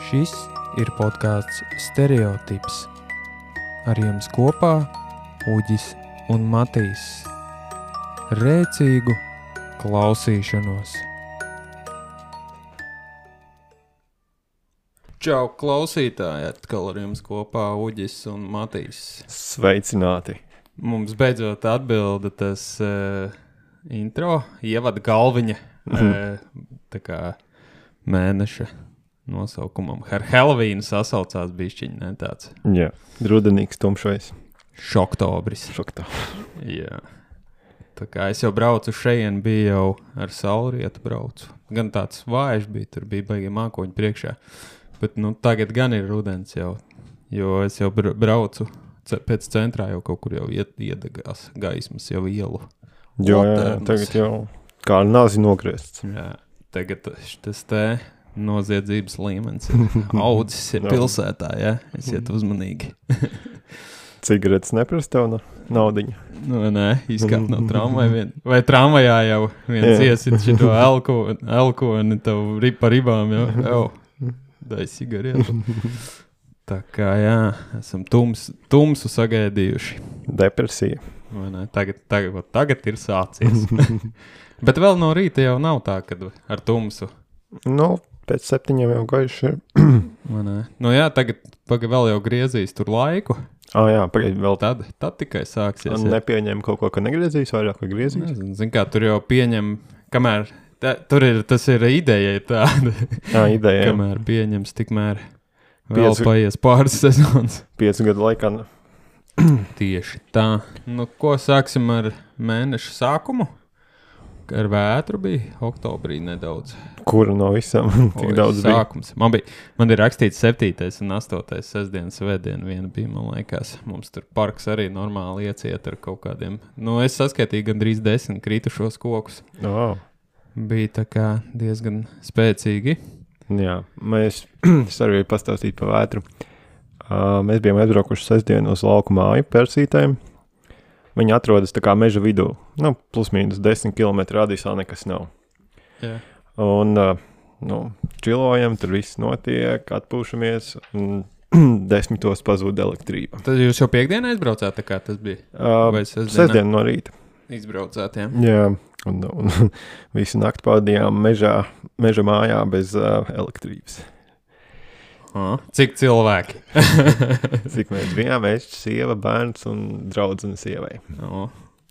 Šis ir podcasts Stereotips. Ar jums kopā Uģis un Matīs. Rēcīgu klausīšanos. Čau, klausītāji! Atkal ar jums kopā Uģis un Matīs. Sveicināti! Mums beidzot atbilda tas intro, ievada galviņa, tā kā mēneša nosaukumam. Ar Helovīnu sasaucās bišķiņi, ne tāds? Jā, rudenīgs tumšais. Šoktobris. Jā. Tā kā es jau braucu šeit, biju jau ar saulrietu braucu. Gan tāds vājš bija, tur bija baigi mākoņi priekšā. Bet tagad gan ir rudens jau, jo es jau braucu pēc centrā jau kaut kur jau iedegās gaismas jau ielu. Jā, tagad jau kā nāzi nogriests. Jā, tagad tas te noziedzības līmenis ir audzis ir pilsētā, jā, esiet uzmanīgi. Cigaretes neprasa tev naudiņu? Nē, izkāpt no tramvaja vai tramvajā jau viens iesit šito elkoni tev pa ribām jau dai cigaretu. Tā kā jā, esam tumsu sagaidījuši. Depresija. Vai ne? Tagad ir sācies. Bet vēl no rīta jau nav tā, kad ar tumsu. Pēc 7 jau gaiši ir. Vai ne? Jā, tagad vēl jau griezīs tur laiku. Jā, pagaid vēl. Tad tikai sāksies. Nepieņem kaut ko, ka negriezīs vairāk, vai griezīs? Zin kā, tur jau pieņem, kamēr, tas ir ideja tāda. Ideja. Kamēr pieņems, tikmēr vēl paies pāris sezonas. 5 gadu laikā. Tieši tā. Ko sāksim ar mēneša sākumu? Ar vētru bija oktobrī nedaudz. Kura no visam? Tik daudz sākums. Bija. Man ir rakstīts 7. un 8. sestdienas svētdiena viena bija, man liekas. Mums tur parks arī normāli ieciet ar kaut kādiem. Es saskaitīju gandrīz 10 kritušos kokus. Bija tā kā diezgan spēcīgi. Jā, es arī pastāstīju pa vētru. Mēs bijām aizbraukuši sestdienu uz lauku māju Persītēm. Viņi atrodas tā kā meža vidū. Plus mīnus 10 km radiusā nekas nav. Jā. Un, čilojam, tur viss notiek, atpūšamies, un 10 pazūd elektrība. Tad jūs jau piekdienā aizbraucāt, tā kā tas bija? Vai sestdienu no rīta. Izbraucāt, jā? Jā, un visu nakti pavadījām meža mājā bez elektrības. Cik cilvēki? Cik mēs bijām, es, sieva, bērns un draudzene sievai.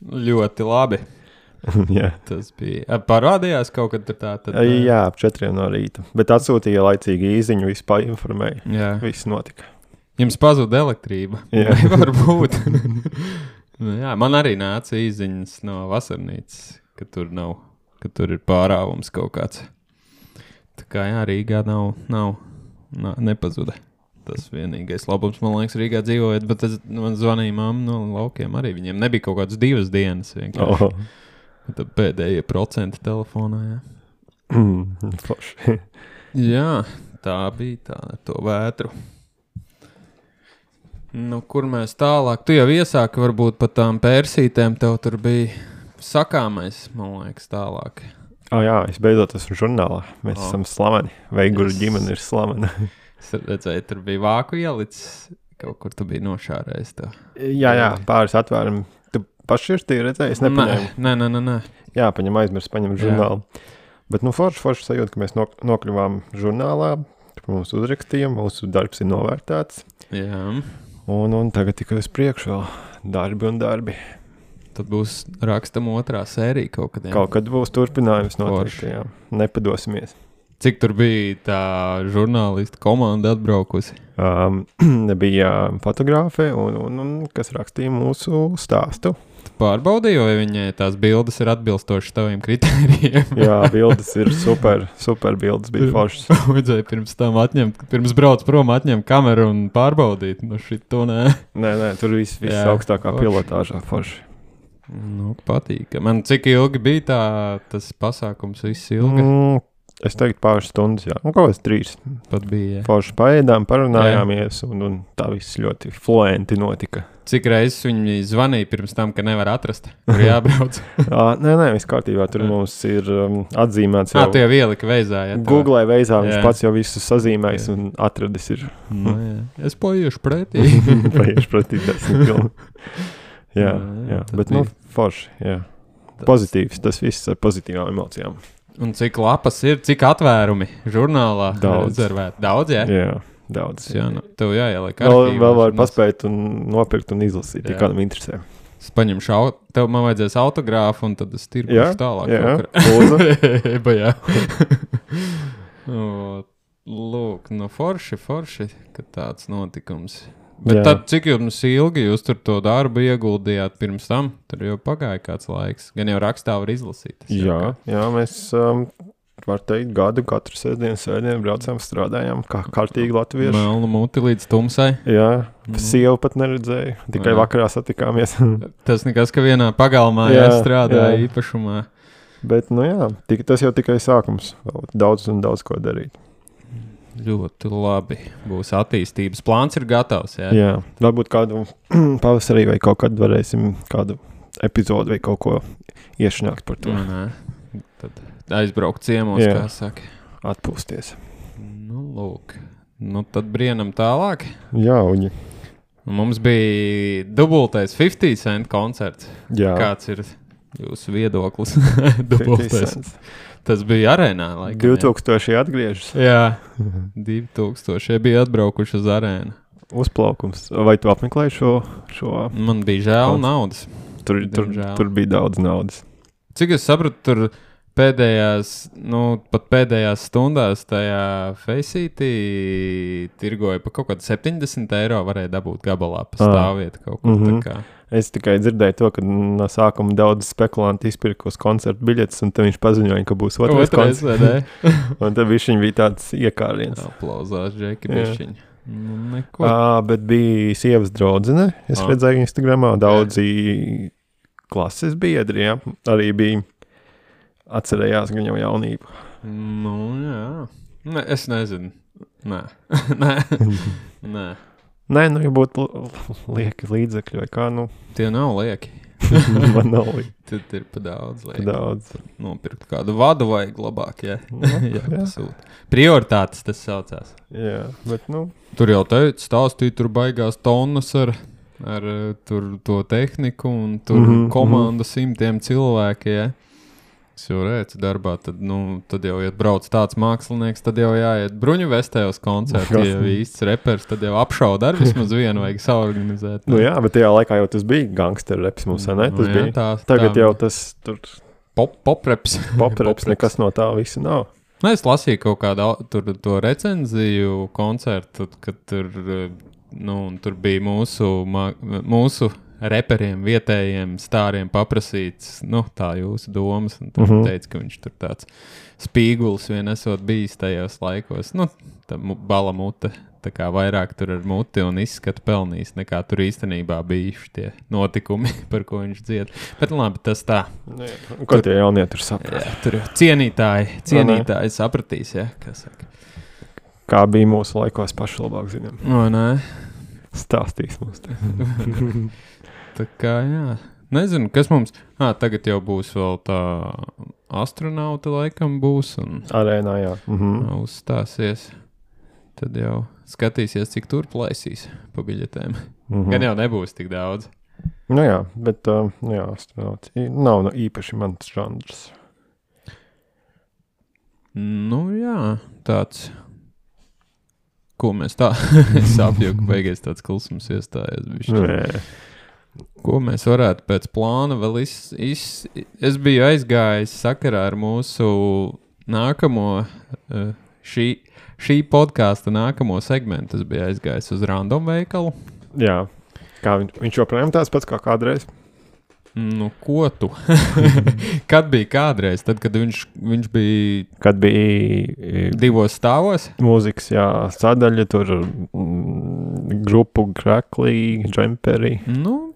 Ļoti labi. Jā. Tas bija. Parādījās kaut kad tur tā? Jā, ap 4 no rīta. Bet atsūtīja laicīgi īziņu, visu painformēja. Jā. Viss notika. Jums pazuda elektrība? Jā. Varbūt. Jā, man arī nāca īziņas no vasarnīcas, ka tur nav, ka tur ir pārāvums kaut kāds. Tā kā jā, Rīgā nepazuda. Tas vienīgais labums, man liekas, Rīgā dzīvojot, bet man zvanīja mamma no laukiem arī. Viņiem nebija kaut kādas 2 dienas vienkārši. Tad pēdējie procenti telefonā, jā. Forši. Jā, tā bija tā ar to vētru. Kur mēs tālāk? Tu jau iesāki varbūt pat tām Persītēm, tev tur bija sakāmais, man liekas, tālāk. Jā, es beidzot esmu žurnālā. Mēs esam slaveni. Veiguru ģimene ir slavena. Es redzēju, tur bija vāku ielicis. Kaut kur tu biji nošārējis to. Jā, pāris atvēram. Tu pašķirstīji redzēji? Es nepaņēmu. Nē. Jā, paņem žurnālu. Bet forši sajūta, ka mēs nokļuvām žurnālā. Mums uzrakstīja, mūsu darbs ir novērtēts. Jā. Un tagad tikai uz priekšu vēl darbi. Tad būs rakstam 2. sērija kaut kad. Kaut kad būs turpinājums noteikti, jā. Nepadosimies. Cik tur bija tā žurnālista komanda atbraukusi? Bija fotogrāfe un kas rakstīja mūsu stāstu. Tu pārbaudīji, vai viņai tās bildes ir atbilstošas taviem kritērijiem? Jā, bildes ir super bildes, bija foršas. Vajadzēja pirms brauc prom atņemt kameru un pārbaudīt. Šito nē. Nē, tur viss augstākā pilotāžā forši. Patīk. Man cik ilgi bija tas pasākums, viss ilgi? Es teiktu pāris stundas, jā. Un kaut kāds 3. Pat bija. Forši paēdām, parunājāmies, un tā viss ļoti fluenti notika. Cik reizes viņi zvanīja pirms tam, ka nevar atrast, kur jābrauc? Nē, viss kārtībā. Tur mums ir atzīmēts jau. Tu jau ielika veizā, jā? Google veizā viņš pats jau visu sazīmējis un atradis ir. Nu, jā. Es paiešu pretī. Paiešu pretī 10 km. Jā, bet forši, jā. Pozitīvs, tas viss ar pozitīvām emocijām. Un cik lapas ir, cik atvērumi žurnālā daudz. Rezervēt? Daudz, jā? Jā, daudz. Jā, tev jāieliek arhīvā. Vēl var paspēt un nopirkt un izlasīt, ja kādam interesē. Es paņemšu, tev man vajadzēs autogrāfu un tad es tirkušu tālāk. Jā, Lūk, forši, ka tāds notikums. Bet tad, cik jums ilgi jūs tur to darbu ieguldījāt pirms tam? Tur jau pagāja kāds laiks. Gan jau rakstā var izlasīt. Jā, mēs, var teikt, gadu katru sēdienu braucām, strādājām kā kārtīgi latvieši. Melnu muti līdz tumsai. Jā, sievu pat neredzēju, tikai vakarā satikāmies. Tas nekas, ka vienā pagalmā strādāja īpašumā. Bet, tas jau tikai sākums. Vēl daudz un daudz ko darīt. Ļoti labi. Būs attīstības plāns ir gatavs, jā? Jā, varbūt kādu pavasarī vai kaut kad varēsim kādu epizodu vai kaut ko iešanākt par to. Tad aizbraukt ciemos, kā saka. Atpūsties. Lūk. Tad brienam tālāk. Jā, uņi. Mums bija dubultais 50 cent koncerts. Jā. Kāds ir jūsu viedoklis? Dubultais. Tas bija arēnā laikam. 2000 atgriežas. Jā, 2000 bija atbraukuši uz arēnu. Uzplaukums. Vai tu apmeklēji šo? Man bija žēl naudas. Tur bija daudz naudas. Cik es sapratu, tur pēdējās stundās tajā Faceitī tirgoja pa kaut kādu 70 eiro varēja dabūt gabalā pa stāvvietu kaut kur tā kā. Es tikai dzirdēju to, ka no sākuma daudz spekulanti izpirka uz koncertu biļetes, un tad viņš paziņoja, ka būs otrais koncerts. Un tad viņš bija tāds iekāriens. Aplauzās, Džeki, bišķiņ. Neko. Bet bija sievas draudzene. Es redzēju Instagramā daudzi klases biedri, arī bija atcerējās gan jau jaunību. Jā. Es nezinu. Nē. Nē, ja būtu lieki līdzekļi vai kā, Tie nav lieki. Man nav lieki. Tad ir pa daudz lieki. Daudz. Nopirkt kādu vadu vajag labāk, pasūt. Prioritātes tas saucās. Jā, bet Tur jau stāstīja, tur baigās tonnas ar tur to tehniku un tur komanda 100 cilvēki, Es jau redzu darbā, tad jau, ja brauc tāds mākslinieks, tad jau jāiet bruņu vestē uz koncertu, ja īsts repers, tad jau apšauda ar vismaz vienu vajag saorganizēt. Jā, bet tajā laikā jau tas bija gangster reps mums, ne? Tas bija. Tagad jau tas tur... Popreps. Popreps, nekas no tā visa nav. Es lasīju kaut kādu to recenziju koncertu, kad tur bija mūsu reperiem, vietējiem stāriem paprasīts, tā jūsu domas, un tad teica, ka viņš tur tāds spīgulis vien esot bijis tajos laikos. Tā bala mute, tā kā vairāk tur ar muti un izskatu pelnījis, nekā tur īstenībā bijuši tie notikumi, par ko viņš dzied. Bet labi, tas tā. Ko tie jaunie tur saprast? Jā, tur cienītāji sapratīs, kā saka. Kā bija mūsu laikos paši labāk zinām. Nē. Stāstīs mums te. Tā kā, Nezinu, kas mums... Tagad jau būs vēl tā astronauta laikam būs un... Arēnā, jā. Uzstāsies. Tad jau skatīsies, cik tur plaisīs pa biļetēm. Gan jau nebūs tik daudz. Jā, bet astronauts nav īpaši mans žanrs. Tāds... Ko mēs tā... Es apjoku, beigais tāds klusums iestājies. Ko mēs varētu pēc plāna vēl Es biju aizgājis sakarā ar mūsu nākamo... Šī podkāsta nākamo segmentu es biju aizgājis uz random veikalu. Jā. Kā viņš joprojām tāds pats kā kādreiz? Ko tu? Kad bija kādreiz? Tad, kad viņš bija... Kad bija... 2 stāvos? Mūzikas, sadaļa, tur grupu Kraklī, Džemperi.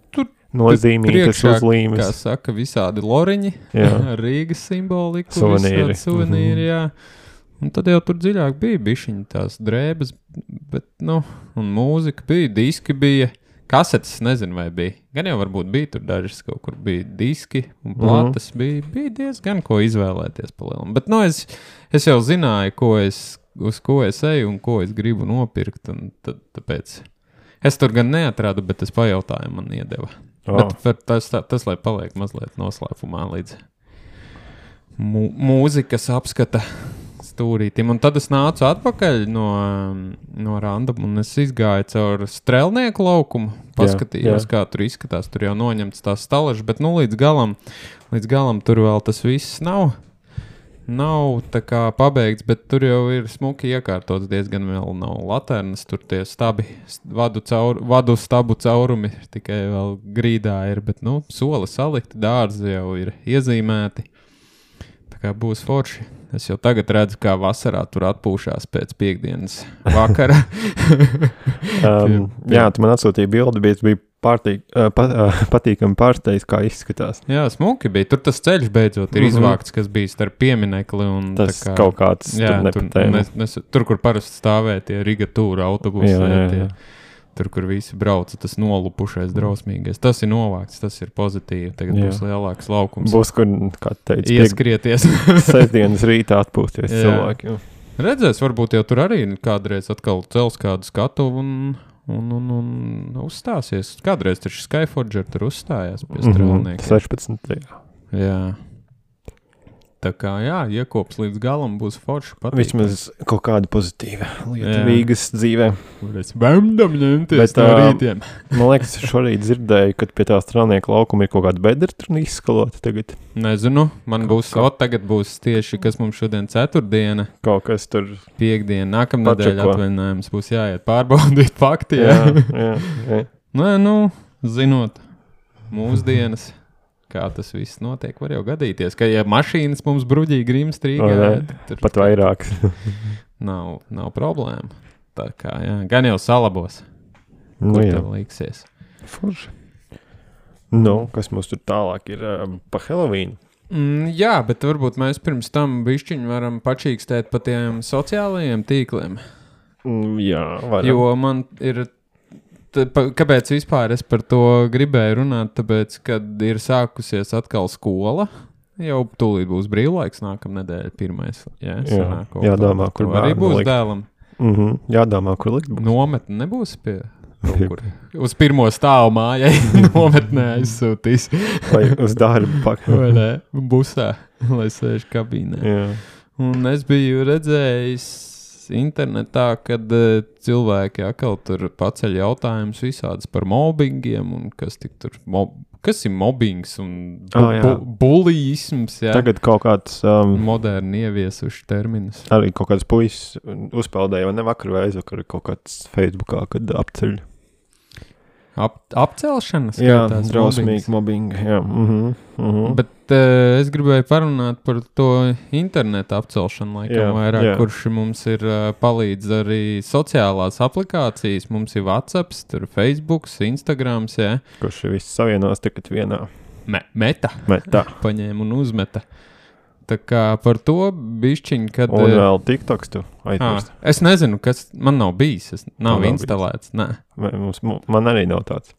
Tur nozīmīgas uzlīmes. Kā saka, visādi loriņi. Ar Rīgas simboliku. Suvenīri. Suvenīri, Un tad jau tur dziļāk bija bišķiņi tās drēbes, bet, un mūzika bija, diski bija, kasetes, nezinu, vai bija. Gan jau varbūt bija tur dažas kaut kur bija diski un plates, bija diezgan ko izvēlēties pa lielam. Bet, es jau zināju, uz ko es eju un ko es gribu nopirkt, un tāpēc es tur gan neatradu, bet es pajautāju, man iedeva. Bet tas, lai paliek mazliet noslēpumā līdz mūzikas apskata stūrītim. Un tad es nācu atpakaļ no randam, un es izgāju caur strelnieku laukumu, paskatījos, kā tur izskatās. Tur jau noņemts tās stalažas, bet līdz galam tur vēl tas viss nav tā kā pabeigts, bet tur jau ir smuki iekārtots, diezgan vēl nav laternas, tur tie stabi, vadu stabu caurumi tikai vēl grīdā ir, bet, soli salikti, dārzi jau ir iezīmēti, tā kā būs forši. Es jau tagad redzu, kā vasarā tur atpūšās pēc piekdienas vakara. Jā, tu man atsūtīji bildi, bet bija patīkami pārsteigts, kā izskatās. Jā, smuki bija. Tur tas ceļš beidzot ir izvākts, kas bija starp pieminekli un tas tā kā, kaut kāds tur, kur parasti stāvēja tie Riga Tūra autobusi. Jā. Tur, kur visi brauca, tas nolupušais drausmīgais. Tas ir novākts, tas ir pozitīvi. Tagad būs lielāks laukums. Būs, kur, kā teica, ieskrieties. Sestdienas rītā atpūsties cilvēki. Redzēs, varbūt jau tur arī kādreiz atkal cels kādu skatu un uzstāsies. Kādreiz taču Skyforger tur uzstājās pie strelniekiem. 16. Jā. Tā kā, iekops līdz galam būs forši patīk. Vismaz kaut kāda pozitīva lieta Rīgas dzīvē. Mēs bēmdam ņemties no rītiem. Man liekas, šorīt dzirdēju, kad pie tā strelnieka laukuma ir kaut kāda bedra tur izskalota tagad. Nezinu, man tagad būs tieši, kas mums šodien ceturtdiena. Kaut kas tur. Piekdiena, nākamnedēļ atvaļinājums būs jāiet pārbaudīt fakti. Jā. Zinot mūsdienas. Kā tas viss notiek, var jau gadīties, ka ja mašīnas mums bruģīgi grims strīgā, pat vairāk. nav problēma. Tā kā, gan jau salabos. Kur tev liksies? Forši. Kas mums tur tālāk ir pa Halloween? Jā, bet varbūt mēs pirms tam bišķiņu varam pačīkstēt pa tiem sociālajiem tīkliem. Jā, varam. Jo man ir... Kāpēc vispār es par to gribēju runāt? Tāpēc, kad ir sākusies atkal skola, jau tūlīt būs brīvlaiks nākamnedēļ pirmais. Jādomā, kur bērnu arī būs dēlam. Jādomā, kur likt būs. Nometne nebūs pie kur. Uz pirmo stāvu mājai nometnē aizsūtīs. Vai uz darbu pakaļ. Vai ne? Busā, lai sēž kabīnē. Jā. Un es biju redzējis internetā, kad cilvēki atkal tur paceļ jautājumus visādas par mobbingiem un kas ir mobbings un bulijisms. Tagad kaut kāds moderni ieviesuši terminus. Arī kaut kāds puisis uzpeldēja, vai ne vakar vai aizvakar kaut kāds Facebookā, kad apceļ. Apcelšanas? Jā, drausmīgi mobbing. Jā. Bet es gribēju parunāt par to internetu apcelšanu laikam vairāk, kurš mums ir palīdz arī sociālās aplikācijas. Mums ir WhatsApps, tur Facebooks, Instagrams, Kurš ir viss savienās tagad vienā. Meta. Paņēma un uzmeta. Tā kā par to bišķiņ, kad... Un vēl TikToks tu aizmirst. Es nezinu, kas man nav bijis. Nav instalēts. Nē. Man arī nav tāds.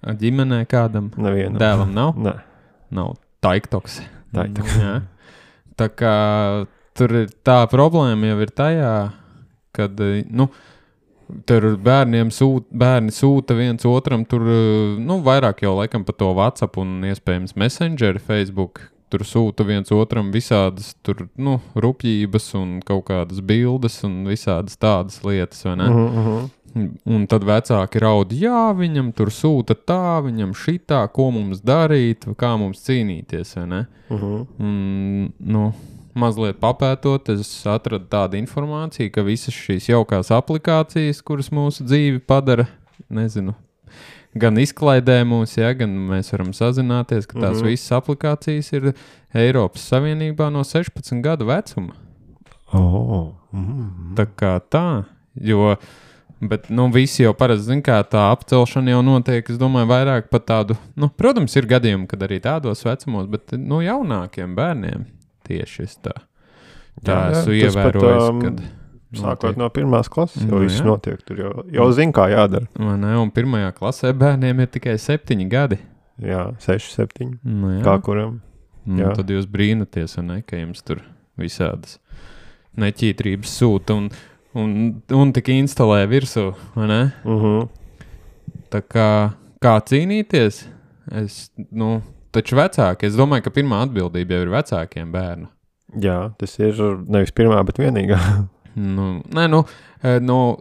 Ģimenē kādam? Nevienam. Dēlam nav? Nē. Nav. TikToks. Jā. Tā kā tur ir tā problēma jau ir tajā, kad, tur bērni sūta viens otram tur, vairāk jau laikam pa to WhatsApp un iespējams Messenger, Facebook, tur sūta viens otram visādas tur, rupjības un kaut kādas bildes un visādas tādas lietas, vai ne? Un tad vecāki raud, viņam tur sūta tā, viņam šitā, ko mums darīt, kā mums cīnīties, vai ne? Mazliet papētot, es atradu tādu informāciju, ka visas šīs jaukās aplikācijas, kuras mūsu dzīvi padara, gan izklaidē mūs, gan mēs varam sazināties, ka tās visas aplikācijas ir Eiropas Savienībā no 16 gadu vecuma. Tā kā tā, bet visi jau parasti zin, kā tā apcelšana jau notiek, es domāju, vairāk pat tādu, protams, ir gadījumi, kad arī tādos vecumos, bet jaunākiem bērniem tieši tā. Tā esmu ievērojis, kad... Sākot no 1. klases, jau viss notiek, tur jau zin, kā jādara. Ne, un 1. klasē bērniem ir tikai 7 gadi. Jā, 6, 7, kā kuram. Tad jūs brīnaties, ne, ka jums tur visādas neķītrības sūta un tik instalē virsū, vai ne? Tā kā cīnīties, taču vecāki, es domāju, ka pirmā atbildība jau ir vecākiem bērnu. Jā, tas ir nevis pirmā, bet vienīgā.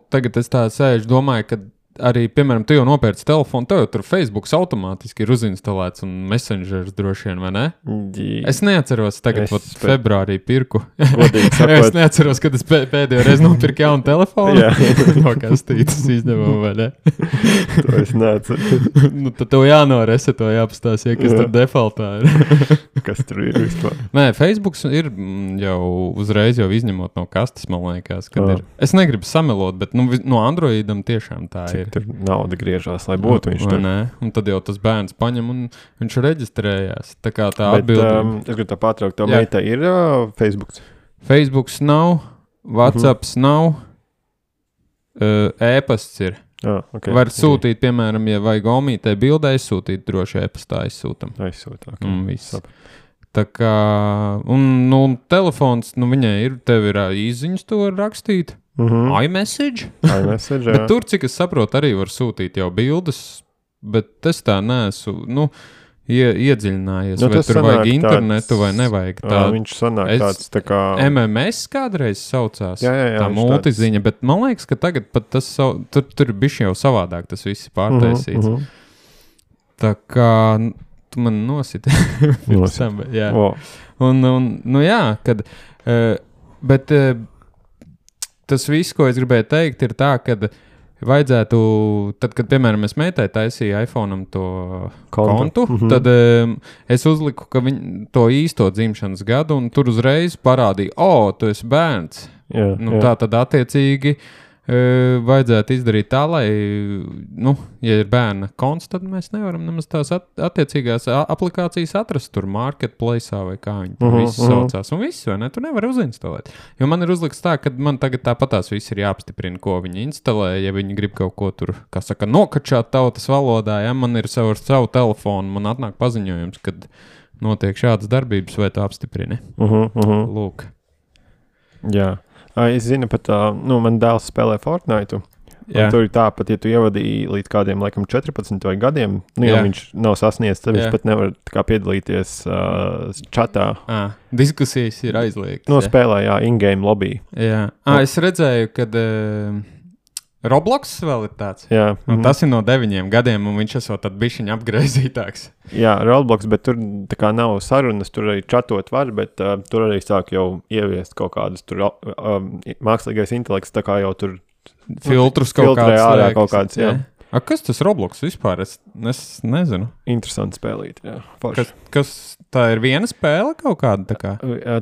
Tagad es tā sēžu, domāju, ka arī, piemēram, tu jau nopērci telefonu, tev jau tur Facebooks automātiski ir uzinstalēts un Messengers droši vien, vai ne? Es neatceros, tagad februārī pirku. Es neatceros, kad es pēdējo reizi nopirku jaunu telefonu. No kastītes izdevumu, vai ne? To es neatceros. Tad tev jānoreseto, jāpastāstīja, kas tur defaultā ir. Kas tur ir vispār? Nē, Facebooks ir jau uzreiz jau izņemot no kastes, man liekas, kad ir. Es negribu samelot, bet no Androidam tiešām tā ir. Tur nauda griežās, lai būtu viņš tur. Un tad jau tas bērns paņem un viņš reģistrējās. Tā kā tā atbildība. Es gribu tā pārtraukt, tā meita ir Facebooks? Facebooks nav, WhatsApps nav, e-pasts ir. Okay. Var sūtīt, piemēram, ja vajag omītē bildē, izsūtīt droši e-pastā aizsūtam. Okay. Tā kā, telefons, viņai ir, tev ir īziņas to rakstīt. iMessage? iMessage, jā. Bet tur, cik es saprotu, arī var sūtīt jau bildes, bet es tā neesmu, iedziļinājies, vai tur vajag internetu vai nevajag. Viņš sanāk tāds tā kā... MMS kādreiz saucās, jā, tā multiziņa, bet man liekas, ka tagad pat tas, tur bišķi jau savādāk tas viss pārtaisīts. Tā kā, tu man nositi. Jā. Kad... Bet... Tas viss, ko es gribēju teikt, ir tā, ka vajadzētu, tad, kad, piemēram, es meitai taisīju iPhone'am to kontu, tad es uzliku, ka to īsto dzimšanas gadu, un tur uzreiz parādīja, tu esi bērns. Jā. Tā tad attiecīgi vajadzētu izdarīt tā, lai, ja ir bērna konts, tad mēs nevaram nemaz tās attiecīgās aplikācijas atrast tur marketplace'ā vai kā viņi tur visi saucās. Un viss, vai ne? Tu nevari uzinstalēt. Jo man ir uzlikts tā, ka man tagad tāpatās viss ir jāapstiprina, ko viņi instalē, ja viņi grib kaut ko tur, kā saka, nokačāt tautas valodā, ja man ir savu telefonu, man atnāk paziņojums, kad notiek šādas darbības, vai tu apstiprini. Lūk. Jā. Es zinu pat, man dēls spēlē Fortnite, tur ir tā, pat ja tu ievadīji līdz kādiem, laikam, 14 vai gadiem, ja viņš nav sasniedzis, tad viņš pat nevar tā kā piedalīties čatā. Diskusijas ir aizliegtas. Spēlē, in-game lobby. Jā. Es redzēju, kad Roblox vēl ir tāds. Jā. Tas ir no 9 gadiem, un viņš esot tad bišķiņ apgraizītāks. Jā, Roblox, bet tur tā kā nav sarunas, tur arī čatot var, bet tur arī sāk jau ieviest kaut kādas tur mākslīgais intelekts, tā kā jau tur filtrus kaut kāds, jā. Kas tas Roblox vispār? Es nezinu. Interesanti spēlīt, jā. Kas tā ir viena spēle kaut kāda?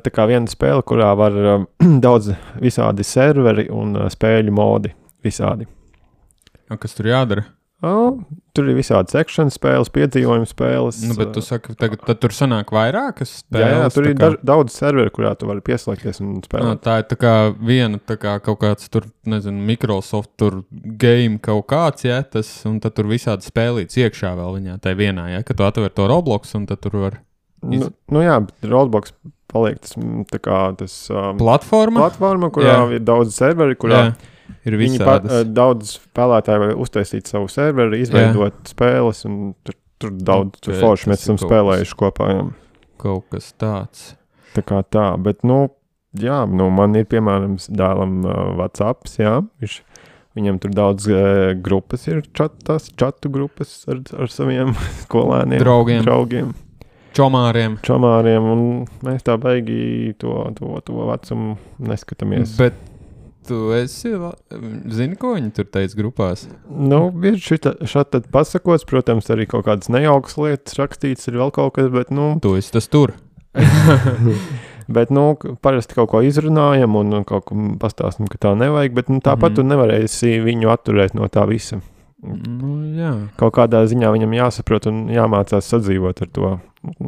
Tā kā viena spēle, kurā var daudz visādi serveri un spēļu modi. Visādi. Kas tur jādara? Tur ir visādi sekšana spēles, piedzīvojuma spēles. Bet tu saki, tad tur sanāk vairākas spēles? Jā, tur ir daudz serveri, kurā tu vari pieslēgties un spēlēt. Tā ir tā kā viena, tā kā kaut kāds tur, nezinu, Microsoft tur game kaut kāds, ja, un tad tur visādi spēlīts iekšā vēl viņā, tai vienā, ja, ka tu atver to Roblox un tad tur var... Jā, bet Roblox paliek tas, tā kā tas... Platforma, kurā ir daudz serveri, kurā... Jā. Ir visādas. Daudz spēlētāji var uztaisīt savu serveri, izveidot spēles, un tur daudz forši mēs esam spēlējuši kopā. Jā. Kaut kas tāds. Tā kā tā, bet, man ir, piemēram, dēlam WhatsApps, jā, viņam tur daudz grupas ir, čatu grupas ar saviem skolēniem, draugiem. Čomāriem, un mēs tā baigi to vecumu neskatāmies. Bet tu zini, ko viņi tur teica grupās? Ir šādi pasakots, protams, arī kaut kādas nejaukas lietas rakstīts, ir vēl kaut kas, bet, Tu esi tas tur. Bet, parasti kaut ko izrunājam un kaut ko pastāstam, ka tā nevajag, bet, tāpat tu nevarēsi viņu atturēt no tā visa. Jā. Kaut kādā ziņā viņam jāsaprot un jāmācās sadzīvot ar to.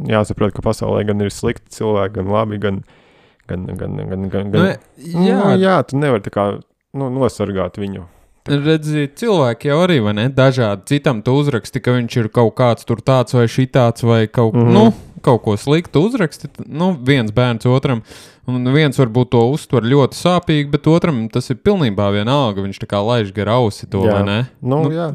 Jāsaprot, ka pasaulē gan ir slikti cilvēki, gan labi, gan Jā, tu nevari tā kā nosargāt viņu. Redzi, cilvēki jau arī, vai ne? Dažādi citam tu uzraksti, ka viņš ir kaut kāds tur tāds vai šitāds vai kaut ko sliktu uzraksti. Viens bērns otram, un viens varbūt to uztver ļoti sāpīgi, bet otram tas ir pilnībā vienalga. Viņš tā kā laiž gar ausi to, vai ne? Jā,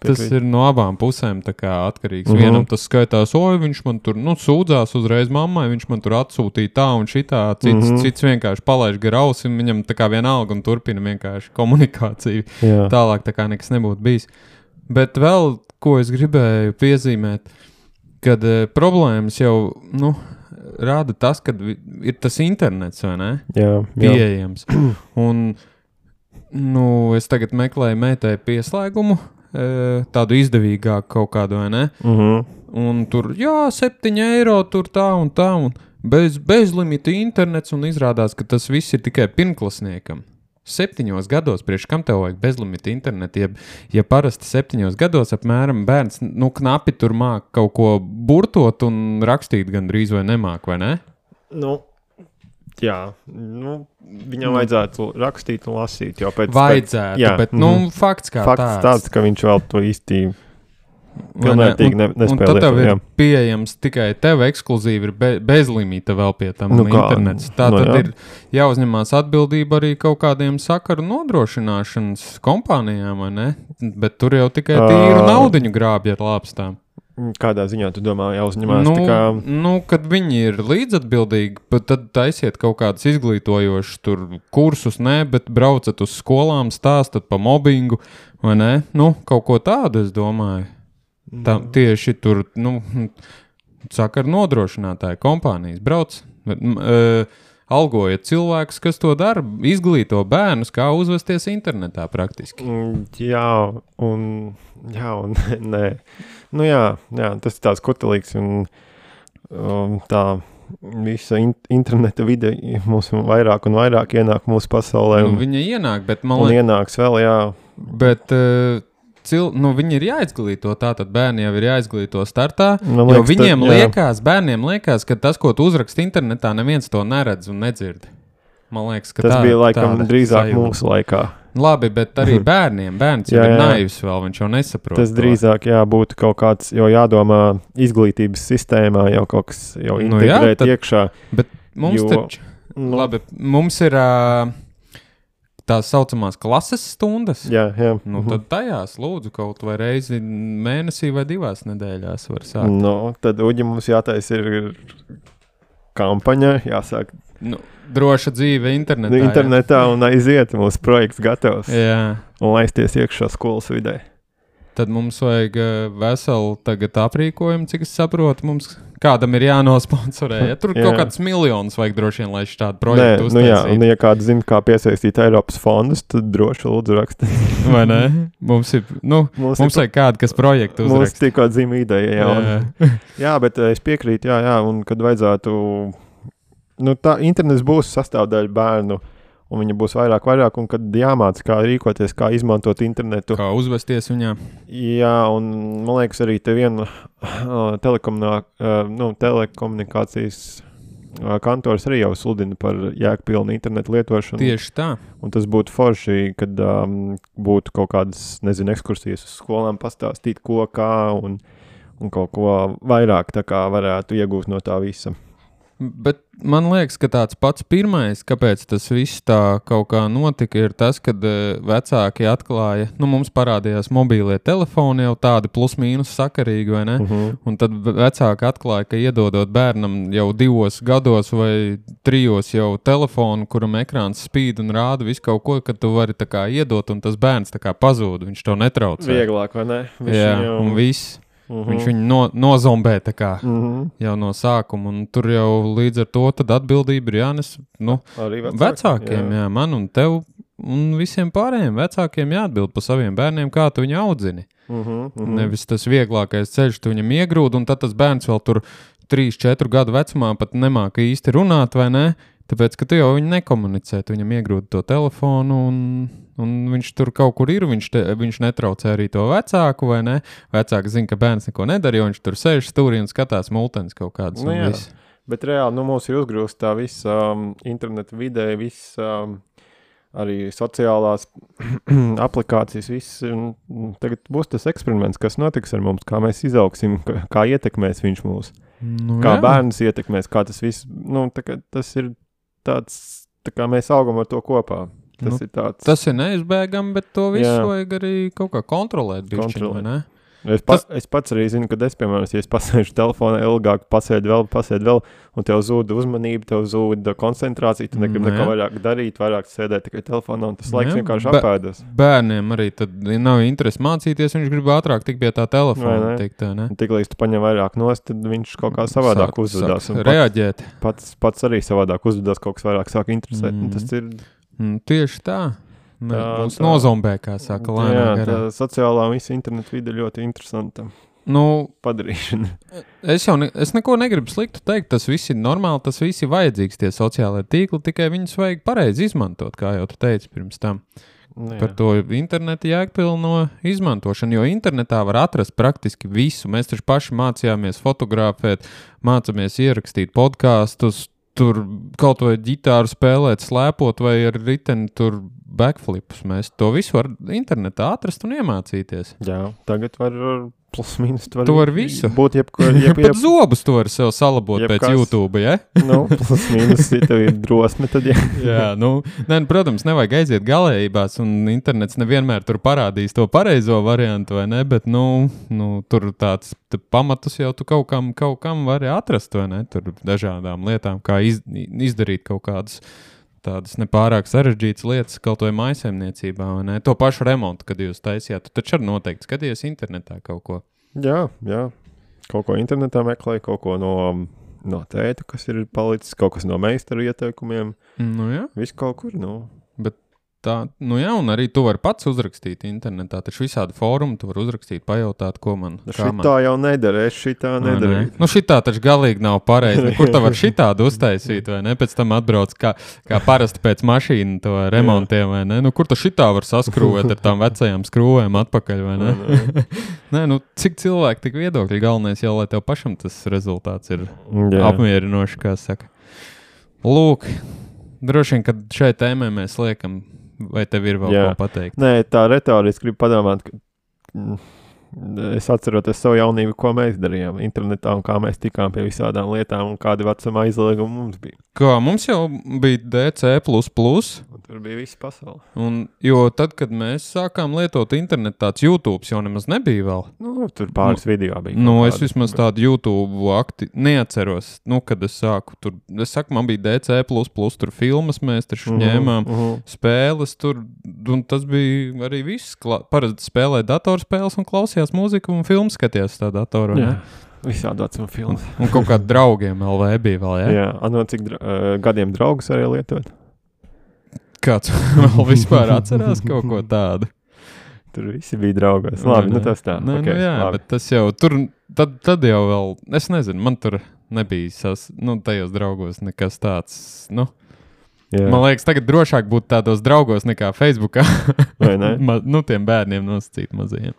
tas ir no abām pusēm tā kā atkarīgs. Vienam tas skaitās, viņš man tur sūdzās uzreiz mammai, viņš man tur atsūtīja tā un šitā. Cits vienkārši palaiž gar ausi, un viņam tā kā vienalga un turpina vienkārši komunikāciju. Jā. Tālāk tā kā nekas nebūtu bijis. Bet vēl, ko es gribēju piezīmēt, kad problēmas jau, rāda tas, kad ir tas internets, vai ne? Jā. Pieejams. Un, es tagad meklēju meitai pieslēgumu, tādu izdevīgāku kaut kādu, vai ne? Un tur, 7 eiro, tur tā un tā, un bezlimita internets, un izrādās, ka tas viss ir tikai pirmklasniekam. 7 gados, priekš kam tev vajag bezlimita internetu, ja parasti 7 gados apmēram bērns, knapi tur māk kaut ko burtot un rakstīt gandrīz vai nemāk, vai ne? Jā, viņam vajadzētu rakstīt un lasīt jau pēc... Vajadzētu, bet, fakts kā tāds. Fakts tāds, ka viņš vēl to īsti... Pilnvērtīgi nespēlē. Un tad tev ir pieejams tikai tev ekskluzīvi ir bezlimita vēl pie tam internets. Tā tad ir jāuzņemās atbildība arī kaut kādiem sakaru nodrošināšanas kompānijām, vai ne? Bet tur jau tikai tīru naudiņu grābja ar lāpstām. Kādā ziņā tu domā jāuzņemās? Kad viņi ir līdzatbildīgi, tad taisiet kaut kādus izglītojošus tur kursus, bet braucat uz skolām, stāstat pa mobbingu, vai ne? Kaut ko tādu, es domāju. Tieši tur, sakaru nodrošinātāji kompānijas brauc, algojiet cilvēkus, kas to dara, izglīto bērnus, kā uzvesties internetā praktiski. Jā, un nē. Tas ir tāds kutelīgs un tā visa interneta vide mums vairāk un vairāk ienāk mūsu pasaulē. Viņa ienāk, bet ienāks vēl, jā. Bet... viņi ir jāizglīto, tātad bērni jau ir jāizglīto startā, jo viņiem bērniem liekas, ka tas, ko tu uzraksti internetā, neviens to neredz un nedzird. Man liekas, ka tas bija laikam drīzāk mūsu laikā. Labi, bet arī bērns jau ir naivs vēl, viņš jau nesaprot. Tas drīzāk, būtu kaut kāds, jau jādomā izglītības sistēmā, jau kaut kas jau integrēt iekšā. Bet mums taču, labi, mums ir... tās saucamās klases stundas. Jā. Tad tajās lūdzu kaut vai reizi mēnesī vai 2 nedēļās var sākt. Tad Uģi mums jātais ir kampaņa, jāsāk. Droša dzīve internetā. Internetā un aiziet, mūsu projekts gatavs. Jā. Un laisties iekšā skolas vidē. Tad mums vajag veselu tagad aprīkojumu, cik es saprotu, mums kādam ir jānosponsorē. Ja tur kaut kāds miljonus vajag droši vien, lai šādu projektu uztaisītu. Un ja kāds zina, kā piesaistīt Eiropas fondus, tad droši lūdzu rakstīt. Vai ne? Mums ir, mums vajag kādu, kas projektu uzrakst. Mums tikko dzima ideja, jā, bet es piekrītu, un kad vajadzētu, tā internets būs sastāvdaļa bērnu, un viņa būs vairāk, un kad jāmāc, kā rīkoties, kā izmantot internetu. Kā uzvesties viņā. Jā, un man liekas arī te viena telekomunikācijas kantors arī jau sludina par jēgpilnu internetu lietošanu. Tieši tā. Un tas būtu forši, kad būtu kaut kādas, ekskursijas uz skolām pastāstīt, ko, kā, un kaut ko vairāk tā kā varētu iegūt no tā visa. Bet man liekas, ka tāds pats pirmais, kāpēc tas viss tā kaut kā notika, ir tas, kad vecāki atklāja, mums parādījās mobīlie telefoni jau tādi plus mīnus sakarīgi, vai ne? Un tad vecāki atklāja, ka iedodot bērnam jau 2 gados vai 3 jau telefonu, kuram ekrāns spīd un rāda visu kaut ko, kad tu vari tā kā iedot, un tas bērns tā kā pazūd, viņš to netraucē. Vieglāk, vai ne? Un viss. Viņš viņu nozombē tā kā jau no sākuma, un tur jau līdz ar to tad atbildība ir jānes vecākiem, man un tev un visiem pārējiem vecākiem jāatbild par saviem bērniem, kā tu viņu audzini. Nevis tas vieglākais ceļš, tu viņam iegrūd, un tad tas bērns vēl tur 3-4 gadu vecumā pat nemāka īsti runāt, vai ne? Tāpēc, ka tu jau viņu nekomunicē, tu viņam iegrūdi to telefonu, un viņš tur kaut kur ir, viņš netraucē arī to vecāku, vai ne? Vecāki zina, ka bērns neko nedara, jo viņš tur sēž stūrī un skatās multenis kaut kādas. Bet reāli, mums ir uzgrūst tā visa interneta vidē, visa arī sociālās aplikācijas, viss. Tagad būs tas eksperiments, kas notiks ar mums, kā mēs izaugsim, kā ietekmēs viņš mūs, kā bērns ietekmēs, kā tas viss, tas ir tāds, tā kā mēs augam ar to kopā. Tas ir tāds. Tas ir neizbēgami, bet to visu vajag arī kaut kā kontrolēt. Bišķiņu, ne? Es pats arī zinu, ka piemēram, ja es pasēžu telefonā ilgāk, pasēdu vēl, un tev zūda uzmanība, tev zūda koncentrācija, tu negribi neko vairāk darīt, vairāk sēdēt tikai telefonā, un tas laiks vienkārši apēdas. Bērniem arī tad nav interesi mācīties, viņš grib ātrāk tik pie tā telefona. Tiklīdz tu paņem vairāk nost, tad viņš kaut kā savādāk uzvedās. Reaģēt. Pats arī savādāk uzvedās, kaut kas vairāk sāk interesēt. Tas ir... Tieši tā. Mums nozombē, kā saka, lēnāk. Jā, tā sociālā visa interneta vide ļoti interesanta padarīšana. Es neko negribu sliktu teikt, tas viss ir normāli, tas viss ir vajadzīgs, tie sociālai tīkli, tikai viņus vajag pareizi izmantot, kā jau tu teici pirms tam. Par to interneta jēgpilno izmantošanu, jo internetā var atrast praktiski visu. Mēs taču paši mācījāmies fotografēt, mācāmies ierakstīt podkastus, tur kaut vai ģitāru spēlēt, slēpot vai ar riteni tur backflipus. Mēs to visu var internetā atrast un iemācīties. Jā, tagad var plus mīnus. Tu var visu. Būt pat zobus tu vari sev salabot pēc YouTube, ja? Plus mīnus, ja tev ir drosme, tad Jā, protams, nevajag aiziet galējībās, un internets nevienmēr tur parādīs to pareizo variantu, vai ne? Bet, tur tāds pamatus jau tu kaut kam vari atrast, vai ne? Tur dažādām lietām, kā izdarīt kaut kādus tādas nepārāk sarežģītas lietas, kaut vai mājsaimniecībā, vai ne? To pašu remontu, kad jūs taisījāt, tu taču arī noteikti skaties internetā kaut ko. Jā. Kaut ko internetā meklēju, kaut ko no tēta, kas ir palicis, kaut kas no meistaru ieteikumiem. Jā. Viss kaut kur, Bet tā, un arī tu vari pats uzrakstīt internetā, taču visādi fórumi tu vari uzrakstīt, pajautāt, ko man. Šitā jau nedara, es šitā nedarīju. Šitā taču galīgi nav pareizi, kur tu var šitādu uztaisīt, vai ne? Pēc tam atbrauc kā parasti pēc mašīnu to remontiem, vai ne? Kur tu šitā var saskrūvēt ar tām vecajām skrūvēm atpakaļ, vai ne? Nē, cik cilvēki, tik viedokļi, galvenais jau, lai tev pašam tas rezultāts ir apmierinoši, kā saka. Lūk, droši vien, kad šai tēmai mēs liekam, vai tev ir vēl ko pateikt? Nē, tā retoriski gribu padomāt, ka es atceroties savu jaunību, ko mēs darījām internetā un kā mēs tikām pie visādām lietām un kādi vecuma aizliegumi mums bija. Kā, mums jau bija DC++. Un tur bija visa pasaule. Jo tad, kad mēs sākām lietot internetu, tāds YouTube jau nemaz nebija vēl. Tur pāris video bija. Es vismaz tādu YouTube neatceros, kad es sāku. Es saku, man bija DC++, tur filmas mēs taču ņēmām, spēles tur, un tas bija arī viss. Parasti spēlēja datorspēles un klausījās mūziku un filmu skatījās tā datoru, ne? Visādi vecuma filmas. Un kaut kādi draugiem LV bija vēl, ja? Jā, cik gadiem draugus arī lietot? Kāds vēl vispār atcerās kaut ko tādu? Tur visi bija draugos. Labi, tas tā. Labi. Bet tas jau, tur, tad jau vēl, es nezinu, man tur nebija tajos draugos nekas tāds, Man liekas, tagad drošāk būt tādos draugos nekā Facebookā. Vai ne? Tiem bērniem nosacīt mazajiem.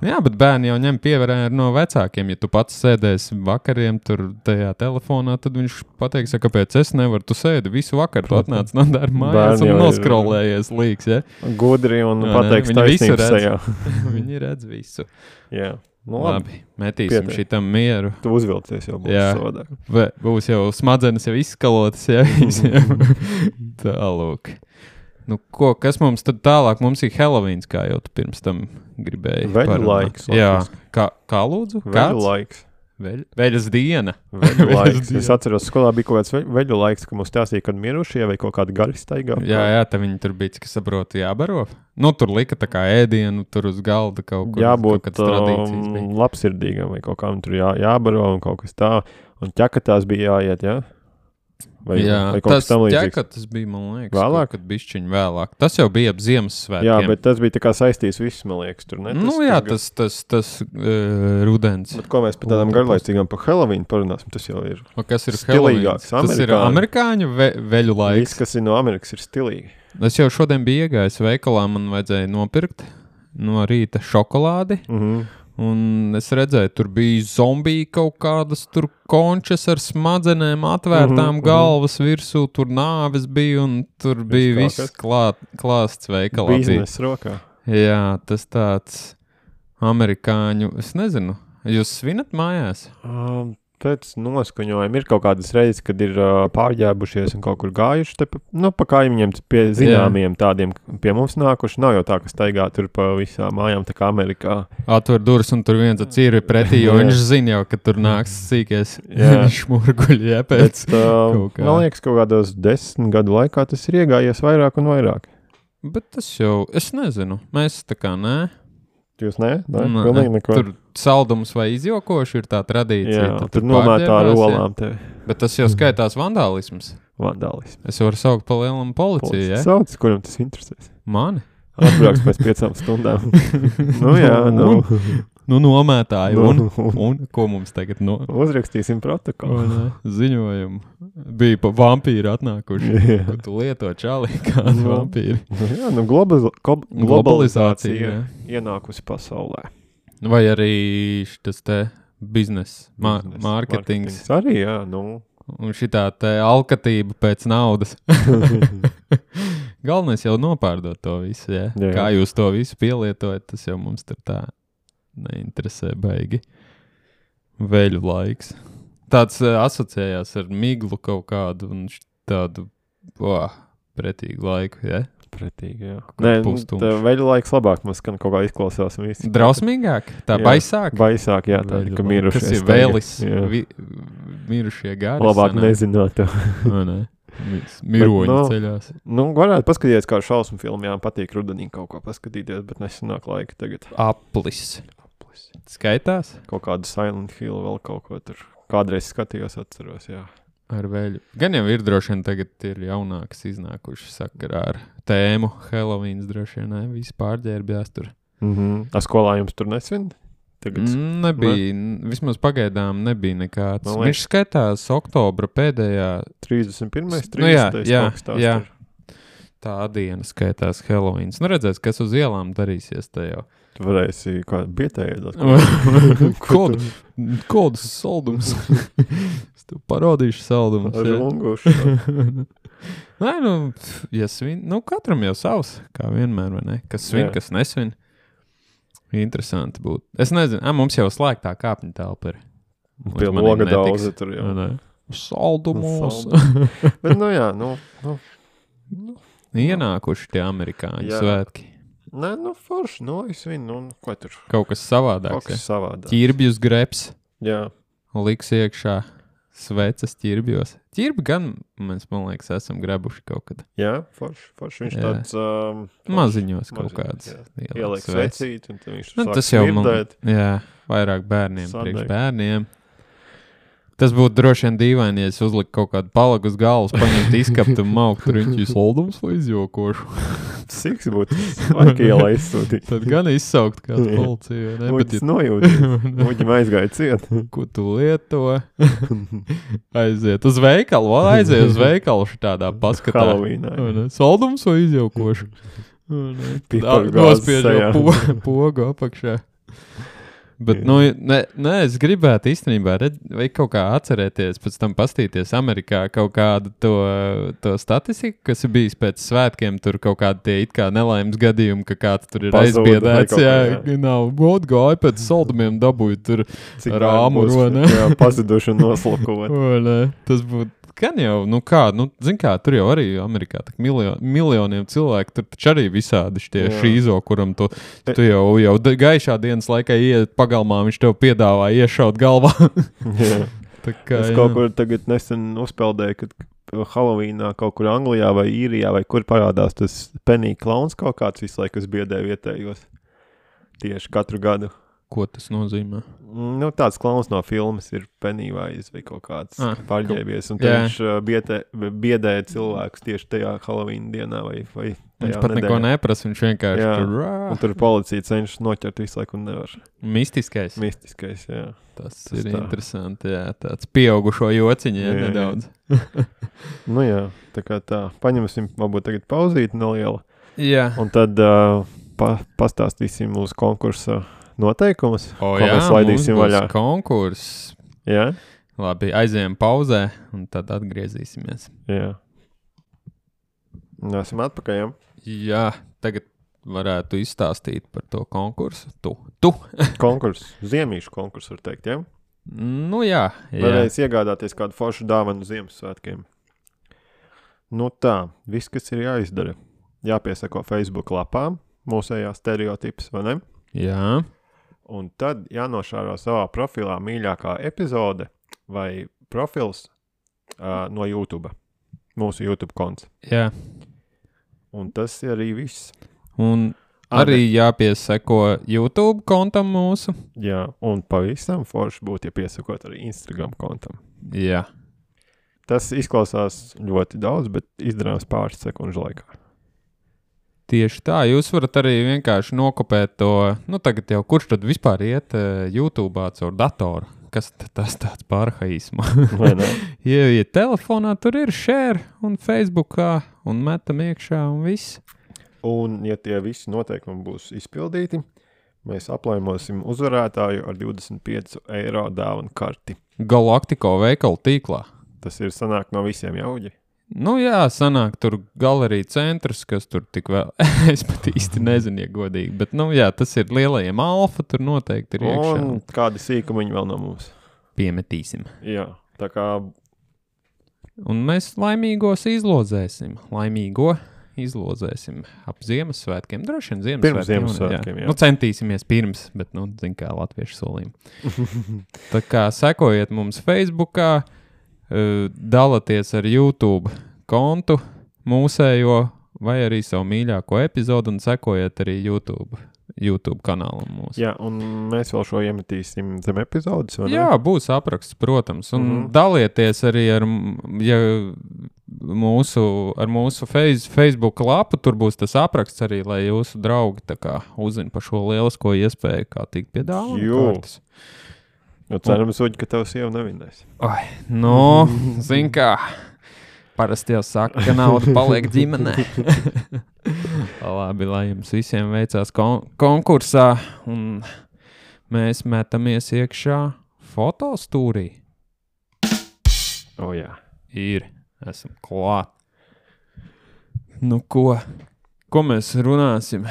Jā, bet bērni jau ņem pievērē no vecākiem. Ja tu pats sēdēsi vakariem tur tajā telefonā, tad viņš pateiks, kāpēc es nevaru. Tu sēdi visu vakaru, tu atnāc no darba mājās un noskrolējies līks, ja? Gudri un pateiks taisnības sajā. Viņi redz visu. Jā. Labi, metīsim šitam mieru. Tu uzvilcies jau būs savādāk. Būs jau smadzenes jau izskalotas, ja? Tālūk. Kas mums tad tālāk? Mums ir Helovíns, kā jau tu pirms tam gribēji. Veļu laiks. Jā, kā lūdzu? Veļu laiks. Veļas diena. Veļu laiks. Es atceros, skolā bija kaut kāds veļu laiks, ka mums stāstīja, kad mirušie vai kaut kādi gari staigā. Jā, tā viņi tur bija, kas saprota, jābaro. Tur lika tā kā ēdienu, tur uz galda kaut kur. Jābūt labsirdīgam vai kaut kām tur jābaro un kaut kas tā. Un ķekatās bija jāiet, jā? Vai kaut kas tam līdzīgs? Tas bija, man liekas, vēlāk, kad bišķiņ vēlāk. Tas jau bija ap Ziemassvētkiem. Jā, bet tas bija tā kā saistīs viss, man liekas, tur, ne? Tas rudens. Bet ko mēs par tādām garlaicīgām par Helovínu parunāsim, tas jau ir kas ir stilīgāks. Tas ir amerikāņu veļu laiks. Viss, kas ir no Amerikas, ir stilīgi. Es jau šodien biju iegājis veikalā, man vajadzēja nopirkt no rīta šokolādi. Un es redzēju, tur bija zombiji kaut kādas tur končas ar smadzenēm, atvērtām galvas virsū, tur nāves bija un tur bija viss klāsts veikalā. Biznesa rokā. Jā, tas tāds amerikāņu, es nezinu, jūs svinat mājās? Pēc noskaņojuma ir kaut kādas reizes, kad ir pārģēbušies un kaut kur gājuši, te pa kaimiņiem pie zināmiem tādiem pie mums nākuši. Nav jau tā, ka staigā tur pa visām mājām, tā kā Amerikā. Atver durvis un tur viens ir pretī, jo viņš zina jau, ka tur nāks sīkies šmurguļi, pēc man liekas, kaut kādos 10 gadu laikā tas ir iegājies vairāk un vairāk. Bet tas jau, es nezinu, mēs tā kā nē. Jūs nē? Pilnīgi neko. Tur saldums vai izjokoši ir tā tradīcija. Jā, tur nomētā ar olām tevi. Bet tas jau skaitās vandālisms. Vandālisms. Es varu saukt pa lielam policiju, ja? Sauc, kuram tas interesēs. Mani? Atbrauks pēc 5 stundām. Nu, nomētāji. Un ko mums tagad uzrakstīsim protokolu. Ziņojumu. Bija pa vampīri atnākuši. Ko tu lieto čālī kādu vampīri. Jā, globalizācija ienākusi pasaulē. Vai arī šitas te biznes, mārketings. Arī, jā, Un šitā te alkatība pēc naudas. Galvenais jau nopārdot to visu, ja? Jā. Kā jūs to visu pielietojat, tas jau mums tur tā neinteresē baigi. Veļu laiks. Tāds asociējās ar miglu kaut kādu un tādu pretīgu laiku, ja? Pretīgi, jā. Nē, tā veļu laiks labāk mums kaut kā izklausās. Drausmīgāk? Tā baisāk? Baisāk, jā, tādi, ka mirušies. Kas ir vēlis, mirušie gari. Labāk nezināt to. Miroņi ceļās. Varētu paskatīties kā šausmu filmu, jā, patīk rudenī kaut ko paskatīties, bet nesanāk laika tagad. Aplis. Skaitās? Kaut kādu Silent Hill vēl kaut ko tur. Kādreiz skatījos, atceros, jā. Ar vēļu. Gan jau ir droši vien tagad ir jaunākas iznākuši sakarā ar tēmu. Halloweens droši vien, ne? Visi pārģērbjās tur. A skolā jums tur nesvin? Nebija. Vismaz pagaidām nebija nekāds. Viņš skaitās oktobra pēdējā. 31. 30. Jā. Tā diena skaitās Halloweens. Redzēs, kas uz ielām darīsies te jau. Tu varēsi kādu bietēju. Kodus saldums. Es tev parodīšu saldumus. Ar rungušu. Nē, ja svin, katram jau savs, kā vienmēr, vai ne? Kas svin, kas nesvin. Interesanti būtu. Es nezinu, mums jau slēgtā kāpņu telpa ir. Pie loga daudzi tur jau. Saldumos. Bet, ienākuši tie amerikāņu svētki. Nē, forši, es vinu, ko tur? Kaut kas savādāks. Kaut kas savādāks. Ķirbjus greps. Jā. Liks iekšā sveces ķirbjos. Ķirbi gan, man liekas, esam grebuši kaut kad. Jā, forši. Viņš tāds... maziņos kaut kāds. Ieliek svecīt, un tad viņš sāk smirdēt. Jā, vairāk bērniem, priekš bērniem. Tas būtu droši vien dīvaini, ja es uzliku kaut kādu palagu uz galvas, paņemt izkapt un maukt riņķi saldums vai izjokošu. Siks būtu laika ielā izsūtīt. Tad gan izsaukt kādu policiju. Uģis nojūtīs. Uģim aizgāja ciet. Ko tu lieto? Aiziet uz veikalu. Aiziet uz veikalu šitādā paskatā. Halloweenā. Saldums vai izjokošu? Nospiežot pogu apakšā. Bet, es gribētu īstenībā vai kaut kā atcerēties, pēc tam pastīties Amerikā kaut kādu to statistiku, kas ir bijis pēc svētkiem, tur kaut kādi tie it kā nelaimes gadījumi, ka kāds tur ir aizbiedēts, nav gāja pēc saldumiem dabūja tur rāmu, ne? Jā, pazuduši un noslakot. Tas būtu. Gan jau, zin kā, tur jau arī Amerikā tak miljoniem cilvēku, tur taču arī visādi šitie šīzo, kuram tu jau gaišā dienas laikā iet pagalmā, viņš tev piedāvā iešaut galvā. Es kaut kur tagad nesen uzpeldēju, kad Halloweenā kaut kur Anglijā vai Īrijā vai kur parādās tas Penny Clowns kaut kāds visu laiku, kas biedē vietējos tieši katru gadu. Ko tas nozīmē? Tāds klauns no filmas ir Pennywise vai kaut kāds pārģēbies, un viņš biedē cilvēkus tieši tajā Halloween dienā vai tajā viņš pat neko neprasa, viņš vienkārši tur... Un tur policija cenšas noķert visu laiku un nevar. Mistiskais, jā. Tas ir interesanti, jā. Tāds pieaugušo jociņi, nedaudz. Tā kā tā. Paņemsim, varbūt tagad pauzīt nelielu. Jā. Un tad pastāstīsim uz konkursa noteikumus, O, ko mēs laidīsim vaļā. Konkurss. Jā? Labi, aizējām pauzē un tad atgriezīsimies. Jā. Esam atpakaļ, jā? Jā, tagad varētu izstāstīt par to konkursu. Tu. Konkurss, ziemīšu konkurss, var teikt, jā? Nu jā. Varēs iegādāties kādu foršu dāvanu Ziemassvētkiem. Nu tā, viss, kas ir jāizdara. Jāpiesako Facebook lapām, mūsējā stereotips, vai ne? Jā. Un tad jānošāro savā profilā mīļākā epizode vai profils no YouTube. Mūsu YouTube konts. Jā. Un tas ir arī viss. Un arī jāpiesako YouTube kontam mūsu. Jā, un pavisam forši būtu, ja piesakot arī Instagram kontam. Jā. Tas izklausās ļoti daudz, bet izdarāms pāris sekundžu laikā. Tieši tā, jūs varat arī vienkārši nokopēt to, nu tagad jau kurš tad vispār iet YouTube'ā caur datoru? Kas tas tāds pārhaisma? Vai ne? Ja telefonā tur ir share un Facebookā un metam iekšā un viss. Un, ja tie visi noteikumi būs izpildīti, mēs aplaimosim uzvarētāju ar 25 eiro dāvanu karti. Galaktiko veikalu tīklā. Tas ir sanāk no visiem jauģi. Nu jā, sanāk tur galerija centrs, kas tur tik vēl, es pat īsti nezinu, ja godīgi, bet nu jā, tas ir lielajiem alfa, tur noteikti ir iekšā. Un kādi sīkumiņi vēl no mums. Piemetīsim. Jā, tā kā... Un mēs laimīgos izlozēsim. Ap Ziemassvētkiem. Droši vien Ziemassvētkiem. Pirms Ziemassvētkiem, jā. Nu, centīsimies pirms, bet, nu, zin kā latviešu solījumi. Tā kā sekojiet mums Facebookā, dalāties ar YouTube kontu mūsējo vai arī savu mīļāko epizodu un sekojiet arī YouTube kanālam mūsu. Jā, un mēs vēl šo iemetīsim zem epizodes, vai ne? Jā, būs apraksts, protams. Un dalieties arī ar mūsu Facebook lapu, tur būs tas apraksts arī, lai jūsu draugi tā kā uzzina par šo lielisko iespēju, kā tikt pie dāvanu kārtas. Nu, cerams, Uģi, ka tavs sieva nevinēs. Ai, nu, zin kā, parasti jau saka, ka nauda paliek ģimenē. Labi, lai jums visiem veicās konkursā, un mēs metamies iekšā fotostūrī. O, jā. Esam klāt. Nu, ko mēs runāsim?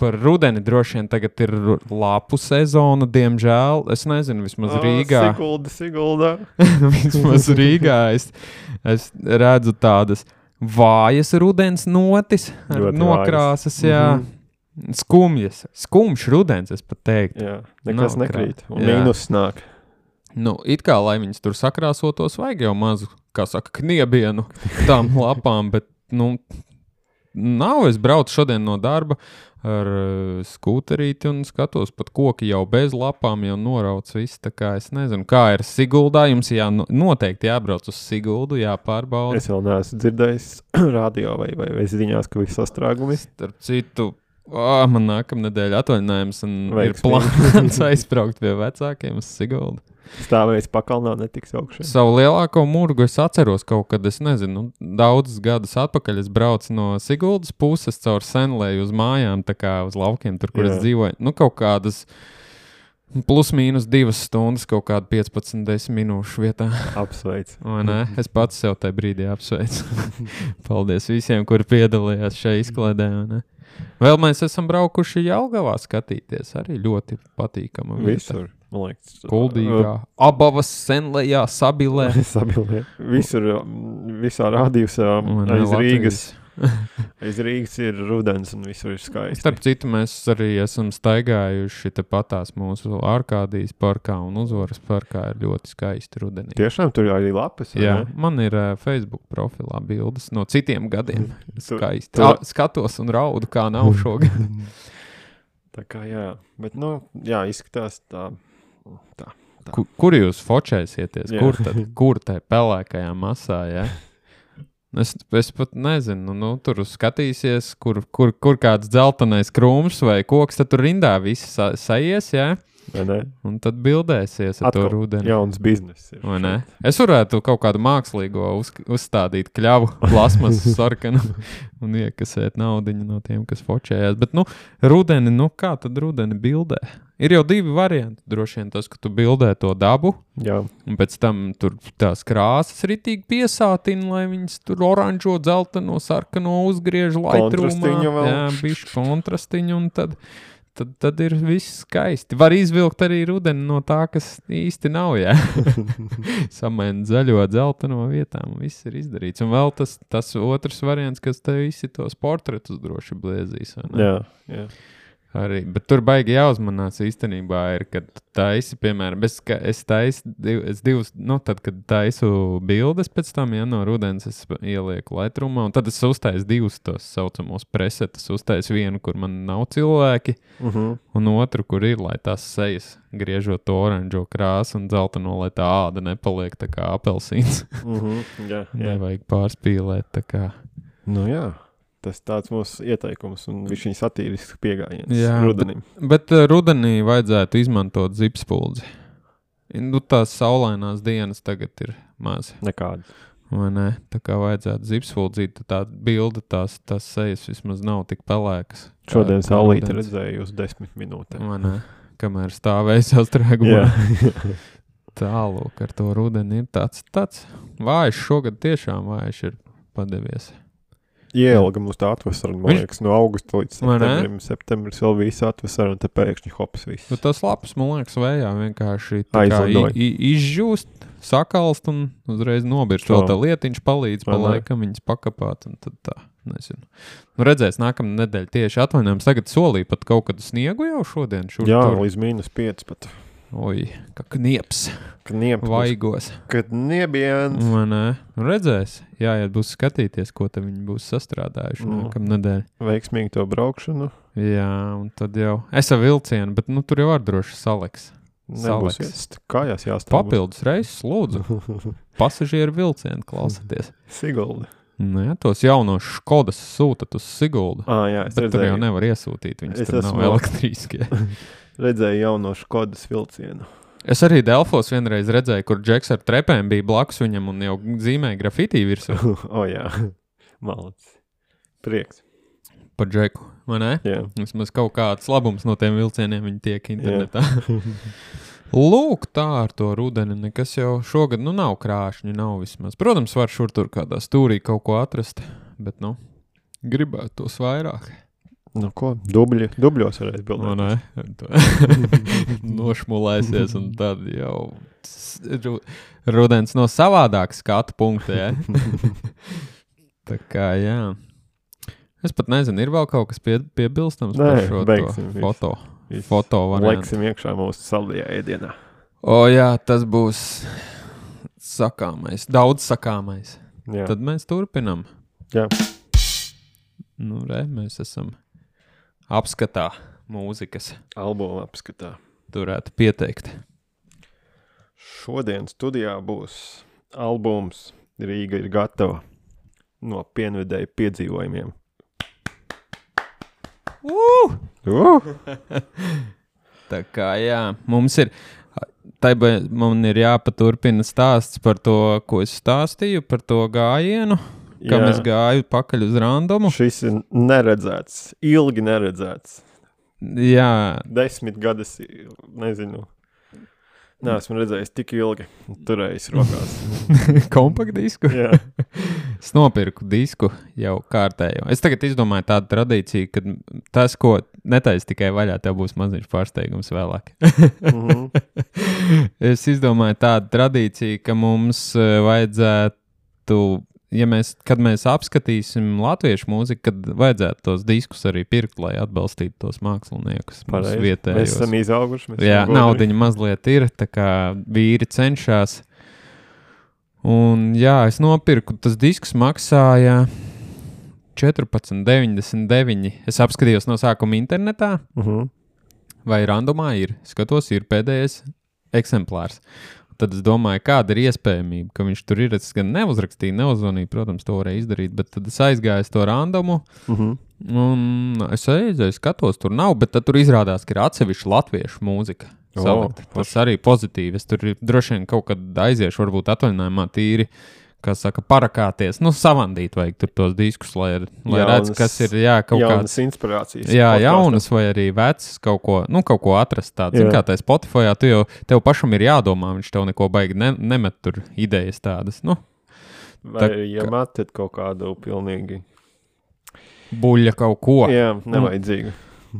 Par rudeni droši vien tagad ir lapu sezona, diemžēl. Es nezinu, vismaz Rīgā. Sigulda. Vismaz Rīgā es redzu tādas vājas rudens notis, nokrāsas, jā. Skumjš rudens, es pat teiktu. Jā, nekas nekrīt. Un mīnus nāk. Nu, it kā, lai viņas tur sakrāsotos, vajag jau mazu, kā saka, kniebienu tām lapām, bet, nu, nav. Es braucu šodien no darba ar skūterīti un skatos, pat koki jau bez lapām jau norauc visu, tā kā es nezinu, kā ir Siguldā, jums noteikti jābrauc uz Siguldu, jāpārbauda. Es vēl neesmu dzirdējis radio vai ziņās, ka viss sastrāgumi. Starp citu, man nākamnedēļ atvaļinājums un ir plāns aizbraukt pie vecākiem uz Siguldu. Stāvēs pakalnā netiks augšā. Savu lielāko murgu es atceros kaut kad, es nezinu, daudzus gadus atpakaļ es braucu no Siguldas puses caur Senlēju uz mājām, tā kā uz laukiem, tur, kur es dzīvoju. Nu, kaut kādas plus mīnus 2 stundas, kaut kāda 15-10 minūšu vietā. Apsveic. Vai ne? Es pats sev tajā brīdī apsveicu. Paldies visiem, kuri piedalījās šajā izklaidē, ne? Vēl mēs esam braukuši Jelgavā skatīties, arī ļoti patīkama vieta. Visur, man liekas. Kuldīgā, Abavas, Senlejā, Sabilē. Visā rādījusā aiz Rīgas. Aiz Rīgas ir rudens un visur ir skaisti. Starp citu, mēs arī esam staigājuši tepatās mūsu Arkādijas parkā un Uzvaras parkā ir ļoti skaisti rudenī. Tiešām tur arī lapas? Jā, man ir Facebook profilā bildes no citiem gadiem. Skaisti. Skatos un raudu, kā nav šogad. Tā kā jā, bet nu, jā, izskatās tā. Kur jūs fočēsieties? Kur tai pelēkajā masā, jā? Es pat nezinu, nu, tur skatīsies, kur kāds dzeltenais krūms vai koks, tad tur rindā visi saies, jā? Un tad bildēsies ar to rudeni. Jauns biznes ir. Es varētu kaut kādu mākslīgo uzstādīt kļavu, plasmas sarkanu un iekasēt naudiņu no tiem, kas fočējās. Bet, rudeni, kā tad rudeni bildē? Ir jau 2 varianti. Droši vien tas, ka tu bildē to dabu, un pēc tam tur tās krāsas ritīgi piesātina, lai viņas tur oranžo, dzelteno, sarkano uzgriež laitrumā. Jā, bišķi kontrastiņu, un tad ir viss skaisti. Var izvilkt arī rudeni no tā, kas īsti nav, jā. Samaina zaļo, dzelteno vietām, viss ir izdarīts. Un vēl tas otrs variants, kas te visi tos portretus droši bliezīs. Jā. Arī, bet tur baigi jāuzmanās īstenībā ir, kad taisi, piemēram, es taisu divus, tad, kad taisu bildes pēc tam, no rudens es ielieku Lightroomā, un tad es uztaisu 2 tos saucamos presetus, uztaisu vienu, kur man nav cilvēki, un otru, kur ir, lai tās sejas griežot to oranžo krāsu un dzelteno, lai tā āda nepaliek tā kā apelsīns. Jā. Nevajag pārspīlēt tā kā. Jā. Tas tāds mūsu ieteikums un viņš satīrisks pieejams rudenim. Bet rudenī vajadzētu izmantot zipspuldzi. Tās saulainās dienas tagad ir maz. Nekādas. Vai ne? Tā kā vajadzētu zipspuldzīt, tā bilde tās sejas vismaz nav tik pelēkas. Šodien saulīti redzēju uz 10 minūtēm. Vai ne? Kamēr stāvēja sastrēgumā. Tālūk ar to rudeni ir tāds vājš. Šogad tiešām vājš ir padevies. Ielga mums tā atvasara, man liekas, no augusta līdz septembrim. Septembris vēl visu atvasara, un te pēkšņi hops viss. Tas labs, man liekas, vējā vienkārši izžūst, sakalst un uzreiz nobirst. Vēl tā lietiņš palīdz pa laikam viņas pakapāt, un tad tā, nezinu. Redzēs nākamā nedēļa tieši atvainojums. Tagad solīja pat kaut kādu sniegu jau šodien. Līdz -5 pat. Oi, kā knieps. Vaigos. Kad niebiens. Redzēs. Jāiet būs skatīties, ko te viņi būs sastrādājuši nākamā nedēļa. Veiksmīgi to braukšanu. Jā, un tad jau. Es ar vilcienu, bet tur jau var droši saleks. Nebūs iest. Kājās jāstāv. Papildus reizes, lūdzu. Pasažieru vilcienu klausieties. Sigulda. Jā, tos jaunos Škodas sūtat uz Siguldu. Jā, bet tur jau nevar iesūtīt. Viņas tur nav elektriskie. Redzēju jauno Škodas vilcienu. Es arī Delfos vienreiz redzēju, kur Džeks ar trepēm bija blakus viņam un jau zīmēja grafitī virsū. Jā, malacis. Prieks. Par Džeku, vai ne? Jā. Vismaz kaut kāds labums no tiem vilcieniem viņi tiek internetā. Lūk, tā ar to rudeni, nekas jau šogad, nav krāšņi, nav vismaz. Protams, var šur tur kādā stūrī kaut ko atrast, bet, gribētu tos vairāk. Ko? Dubļos varēs bildēt. Nošmulēsies un tad jau rudens no savādāk skatu punkta, jā. Tā kā, jā. Es pat nezinu, ir vēl kaut kas piebilstams par šo foto variantu. Leksim iekšā mūsu saldajā ēdienā. Jā, tas būs sakāmais, daudz sakāmais. Jā. Tad mēs turpinam. Jā. Mēs esam apskatā mūzikas. Albuma apskatā. Turētu pieteikt. Šodien studijā būs albums Rīga ir gatava no Pienvedēju piedzīvojumiem. Tā kā, jā, man ir jāpaturpina stāsts par to, ko es stāstīju, par to gājienu. Kam es gāju pakaļ uz randomu. Šis ir neredzēts, ilgi neredzēts. Jā. 10 gadus, nezinu. Neesmu redzējis tik ilgi, turējis rokās. Kompaktdisku? Jā. Es nopirku disku jau kārtējo. Es tagad izdomāju tādu tradīciju, ka tas, ko netaisi tikai vaļā, tev būs maziņš pārsteigums vēlāk. Es izdomāju tādu tradīciju, ka mums vajadzētu, kad mēs apskatīsim latviešu mūziku, kad vajadzētu tos diskus arī pirkt, lai atbalstītu tos māksliniekus. Mēs esam izauguši. Jā, naudiņa mazliet ir, tā kā vīri cenšas. Un jā, es nopirku, tas disks maksāja 14,99. Es apskatījos no sākuma internetā, vai randomā ir. Skatos, ir pēdējais eksemplārs. Tad es domāju, kāda ir iespējamība, ka viņš tur ir. Es gan neuzrakstīju, neuzvanīju, protams, to varēja izdarīt, bet tad es aizgāju to randomu, un es aizgāju, skatos, tur nav, bet tad tur izrādās, ka ir atsevišķa latviešu mūzika. salikt. Tas arī pozitīvi. Es tur droši vien kaut kad aiziešu, varbūt atvaļinājumā tīri, kā saka, parakāties. Savandīt vajag tur tos diskus, lai redz, kas ir, kaut jaunas inspirācijas. Jā, jaunas vai arī vecas kaut ko atrast tādu. Zin kā tā Spotifyā, tev pašam ir jādomā, viņš tev neko baigi nemet tur idejas tādas, Vai metat kaut kādu pilnīgi buļļa kaut ko. Jā, nevajadzīgu.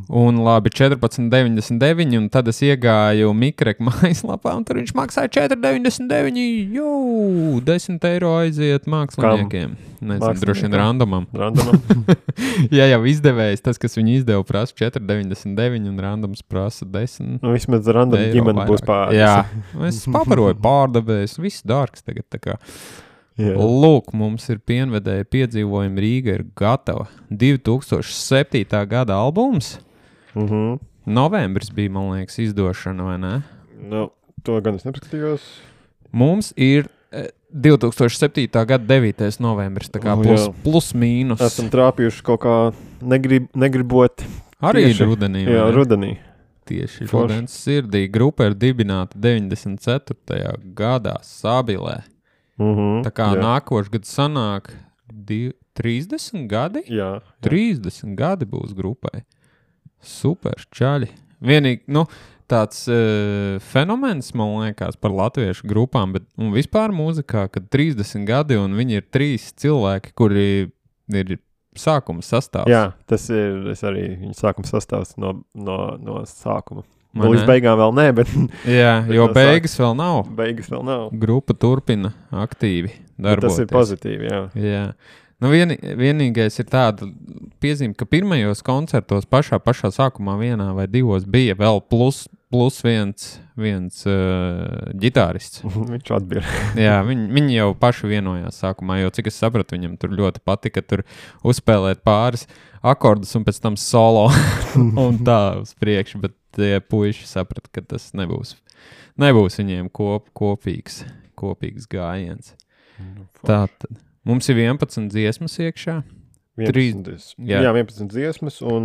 Un labi, 14,99, un tad es iegāju Mikrek mājaslapā, un tur viņš maksāja 4,99. 10 eiro aiziet māksliniekiem. Nezinu, droši vien randomam. Ja jau izdevējs, tas, kas viņu izdeva, prasa 4,99, un randoms prasa 10. Vismaz random ģimene būs pāris. Jā, es pabaroju pārdevējs, viss dārgs tagad tā kā. Lūk, mums ir pienvedēja piedzīvojumi, Rīga ir gatava. 2007. gada albums. Novembris bija, man liekas, izdošana, vai ne? To gan es nepaskatījos. Mums ir 2007. gada 9. novembris, tā kā plus mīnus. Esam trāpījuši kaut kā negribot. Arī rudenī. Jā, rudenī. Tieši rudens sirdī. Grupa ir dibināta 94. gadā Sabilē. Tā kā nākošais gads sanāk 30 gadi? Jā. 30 gadi būs grupai. Super, čaļi. Vienīgi, tāds fenomens, man liekas, par latviešu grupām, un vispār mūzikā, kad 30 gadi un viņi ir 3 cilvēki, kuri ir sākuma sastāvs. Jā, tas ir arī viņa sākuma sastāvs no sākuma. Līdz beigām vēl nē, bet... Jā, jo beigas vēl nav. Beigas vēl nav. Grupa turpina aktīvi darboties. Tas ir pozitīvi, jā. Jā. Vienīgais ir tāda piezīme, ka pirmajos koncertos pašā sākumā vienā vai divos bija vēl plus viens ģitārists. Viņš atbīra. Jā, viņi jau paši vienojās sākumā, jo cik es sapratu, viņam tur ļoti patika tur uzspēlēt pāris akordus un pēc tam solo un tā uz priekšu, bet tie puiši saprata, ka tas nebūs viņiem kopīgs gājiens. Tātad. Mums ir 11 dziesmas iekšā. 11 dziesmas un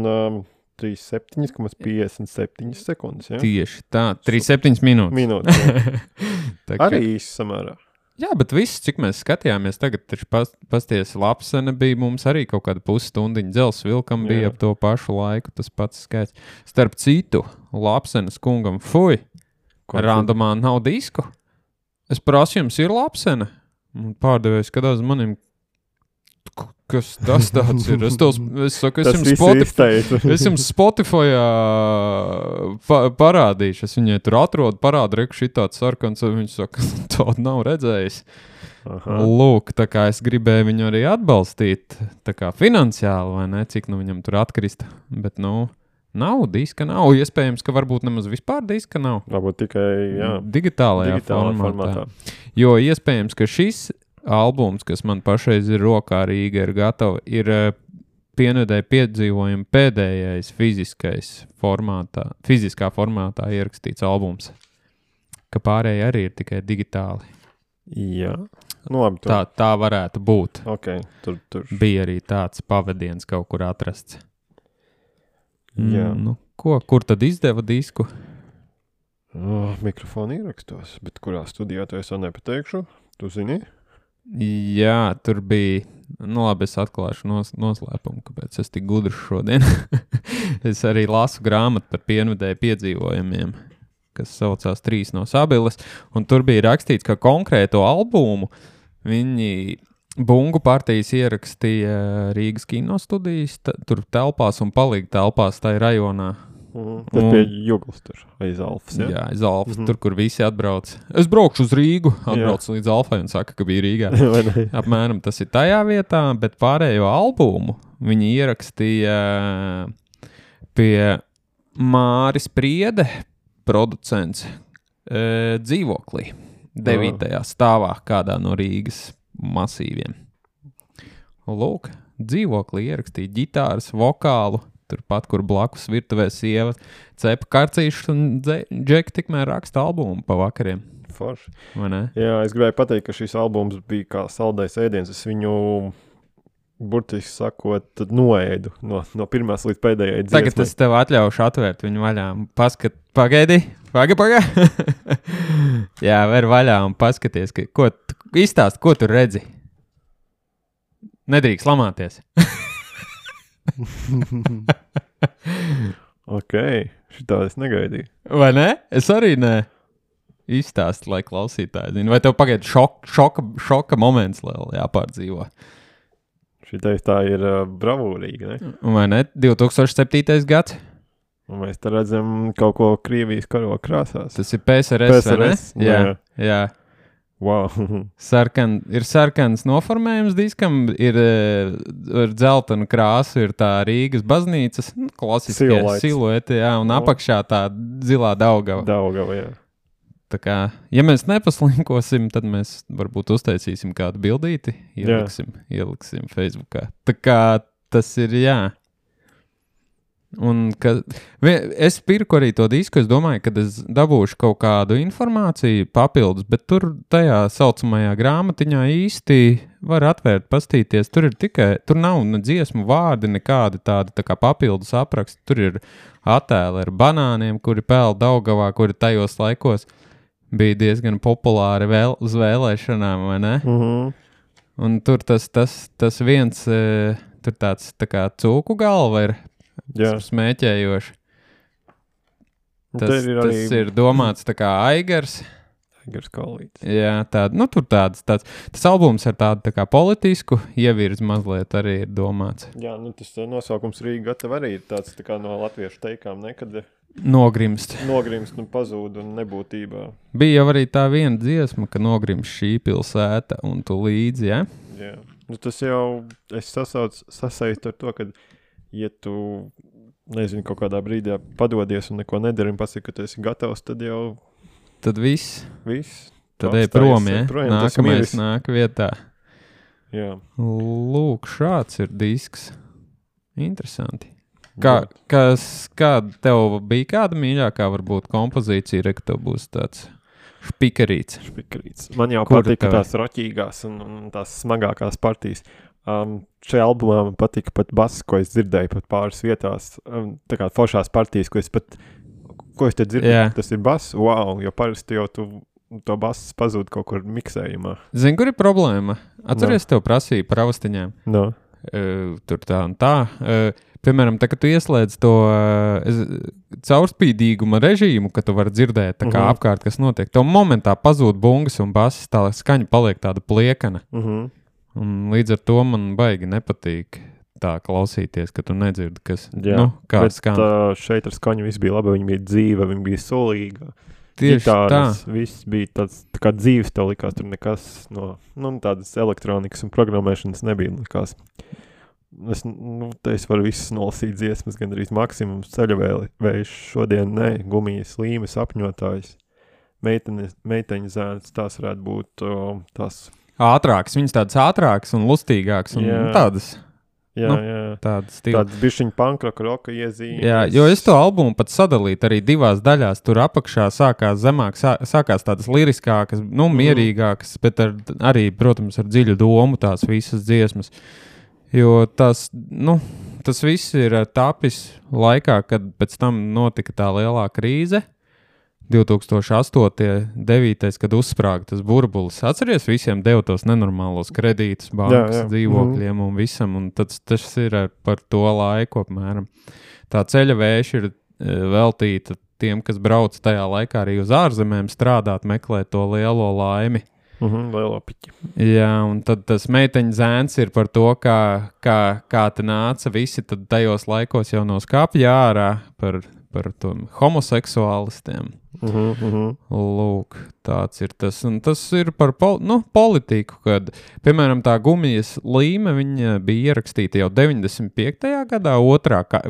37,57 sekundes. Ja? Tieši tā, 37 minūtes. Arī īsi samērā. Jā, bet viss, cik mēs skatījāmies, tagad taču pasties Lapsene bija mums arī kaut kāda pusstundiņa, Dzels Vilkam bija ap to pašu laiku, tas pats skaits. Starp citu, Lapsenes kungam, randomā nav disku. Es prasu, jums ir Lapsene? Pārdevējs skatās manim, kas tas tāds ir? Es saku, es jums Spotifyā parādīšu. Es viņai tur atrodu, parādu, reku šitāds sarkans, un viņš saka, tādu nav redzējis. Aha. Lūk, tā kā es gribēju viņu arī atbalstīt, tā kā finansiāli, vai ne, cik viņam tur atkrist. Bet, nav, diska nav. Iespējams, ka varbūt nemaz vispār diska nav. Varbūt tikai, digitālajā formātā. Jo iespējams, ka šis albums, kas man pašreiz ir rokā, Rīga ir gatava, ir pienvedēja piedzīvojumu pēdējais fiziskā formātā ierakstīts albums. Ka pārējie arī ir tikai digitāli. Jā. Labi, tā varētu būt. Okay, tur. Bija arī tāds pavadiens kaut kur atrasts. Jā. Kur tad izdeva disku? Mikrofonu ierakstos, bet kurā studijā to es vēl nepateikšu? Tu zini? Jā, tur bija, labi, es atklāšu noslēpumu, kāpēc es tik gudrs šodien. Es arī lasu grāmatu par pienvedēju piedzīvojumiem, kas saucās 3 no Sabiles, un tur bija rakstīts, ka konkrēto albumu viņi Bungu partijas ierakstīja Rīgas kinostudijas, tur telpās un palika telpās tai rajonā. Tas pie Juglas tur, aiz Alfas, ja? Jā, aiz Alfas, tur, kur visi atbrauc. Es braukšu uz Rīgu, atbraucu līdz Alfai un saka, ka bija Rīgā. Apmēram tas ir tajā vietā, bet pārējo albumu viņi ierakstīja pie Māris Priede, producents, dzīvoklī, 9. stāvā kādā no Rīgas masīviem. Lūk, dzīvoklī ierakstīja ģitāras, vokālu, turpat, kur blakus virtuvē sieva cepa karcīšus un Džeki tikmēr raksta albumu pa vakariem. Forši. Vai ne? Jā, es gribēju pateikt, ka šis albums bija kā saldais ēdiens. Es viņu, burtiski sakot, noēdu no pirmās līdz pēdējai dziesmai. Tagad es tev atļaušu atvērt viņu vaļā. Pagaidi, Paga. Jā, ver vaļā un paskaties, izstāst, ko tu redzi. Nedrīkst lamāties. Ok, šitā es negaidīju. Vai ne? Es arī ne. Izstāst, lai klausītāji zina. Vai tev pagaid šoka moments vēl jāpārdzīvo? Šitais tā ir bravūrīga, ne? Vai ne? 2007. gads? Un mēs te redzam kaut ko Krievijas karoga krāsās. Tas ir PSRS, vai ne? Jā. Wow. Ir sarkans noformējums diskam, ir dzeltena krāsa, ir tā Rīgas baznīcas, klasiskie silueti, jā, un apakšā tā zilā Daugava. Daugava, jā. Tā kā, ja mēs nepaslinkosim, tad mēs varbūt uztaisīsim kādu bildīti, ieliksim Facebookā. Tā kā tas ir, jā. Un es pirku arī to disku, es domāju, ka es dabūšu kaut kādu informāciju papildus, bet tur tajā saucamajā grāmatiņā īsti var atvērt, pastīties. Tur nav ne dziesmu vārdi, nekādi tādi tā kā papildus apraksti. Tur ir attēli ar banāniem, kuri pēl Daugavā, kuri tajos laikos bija diezgan populāri uz vēlēšanām, vai ne? Un tur tas viens, tur tāds tā kā cūku galva ir, smēķējoši. Tas ir domāts tā kā Aigars. Aigars Kalīts. Jā, tur tāds. Tas albums ar tādu tā kā politisku ievirzi mazliet arī ir domāts. Jā, tas nosaukums Rīga gatava arī ir tāds tā kā no latviešu teikām, nekad nogrimst, pazūd un nebūtībā. Bija jau arī tā viena dziesma, ka nogrimst šī pilsēta un tu līdzi, ja? Jā. Tas jau, es sasaistu ar to, ka ja tu, nezinu, kaut kādā brīdī padodies un neko nedari un pasaki, ka tu esi gatavs, tad jau... Tad viss. Tad ej prom, ja? Nākamais nāk vietā. Jā. Lūk, šāds ir disks. Interesanti. Kā tev bija kāda mīļākā varbūt kompozīcija, ka tev būs tāds špikarīts? Man jau patika tās roķīgās un tās smagākās partijas. Šajā albumā man patika pat bass, ko es dzirdēju pat pāris vietās, tā kā foršās partijas, ko es te dzirdēju, tas ir bass, wow, jo parasti jau to bass pazūd kaut kur miksējumā. Zini, kur ir problēma? Atceries, tev prasīja par austiņām? No. Tur tā un tā. Piemēram, tā, kad tu ieslēdz to caurspīdīguma režīmu, ka tu vari dzirdēt tā kā apkārt, kas notiek, tev momentā pazūd bungas un bass, tā skaņa paliek tāda pliekana. Un līdz ar to man baigi nepatīk tā klausīties, ka tu nedzirdi, kas, kāds skan. Šeit ar skaņu viss bija labi, viņa bija dzīva, viņa bija sulīga. Tieši Gitāras, tā. Viss bija tāds, tā kā dzīves tev likās, tur nekas no, tādas elektronikas un programmēšanas nebija likās. Es varu visas nolasīt dziesmas, gan arī maksimums ceļavējš šodien, gumijas, līmes, apņotājs, meiteņa zēns, tās varētu būt tās... Ātrāks, viņas tādas ātrākas un lustīgākas un tādas. Jā. Tādas bišķiņa pankroka roka iezīmes. Jā, jo es to albumu pat sadalītu arī divās daļās. Tur apakšā sākās zemāk, sākās tādas liriskākas, mierīgākas, bet arī, protams, ar dziļu domu tās visas dziesmas. Jo tas viss ir tapis laikā, kad pēc tam notika tā lielā krīze. 2008. 9. kad uzsprāga tas burbulis. Atceries, visiem deva tos nenormālos kredītus, bankas, dzīvokļiem un visam, un tas ir par to laiku apmēram. Tā ceļavēša ir veltīta tiem, kas brauc tajā laikā arī uz ārzemēm strādāt, meklēt to lielo laimi. Lielo piķi. Jā, un tad tas meiteņa zēns ir par to, kā te nāca visi tad tajos laikos jau no skapja ārā par to homoseksuālistiem. Lūk, tāds ir tas. Un tas ir par politiku, kad, piemēram, tā gumijas līme, viņa bija ierakstīta jau 95. gadā,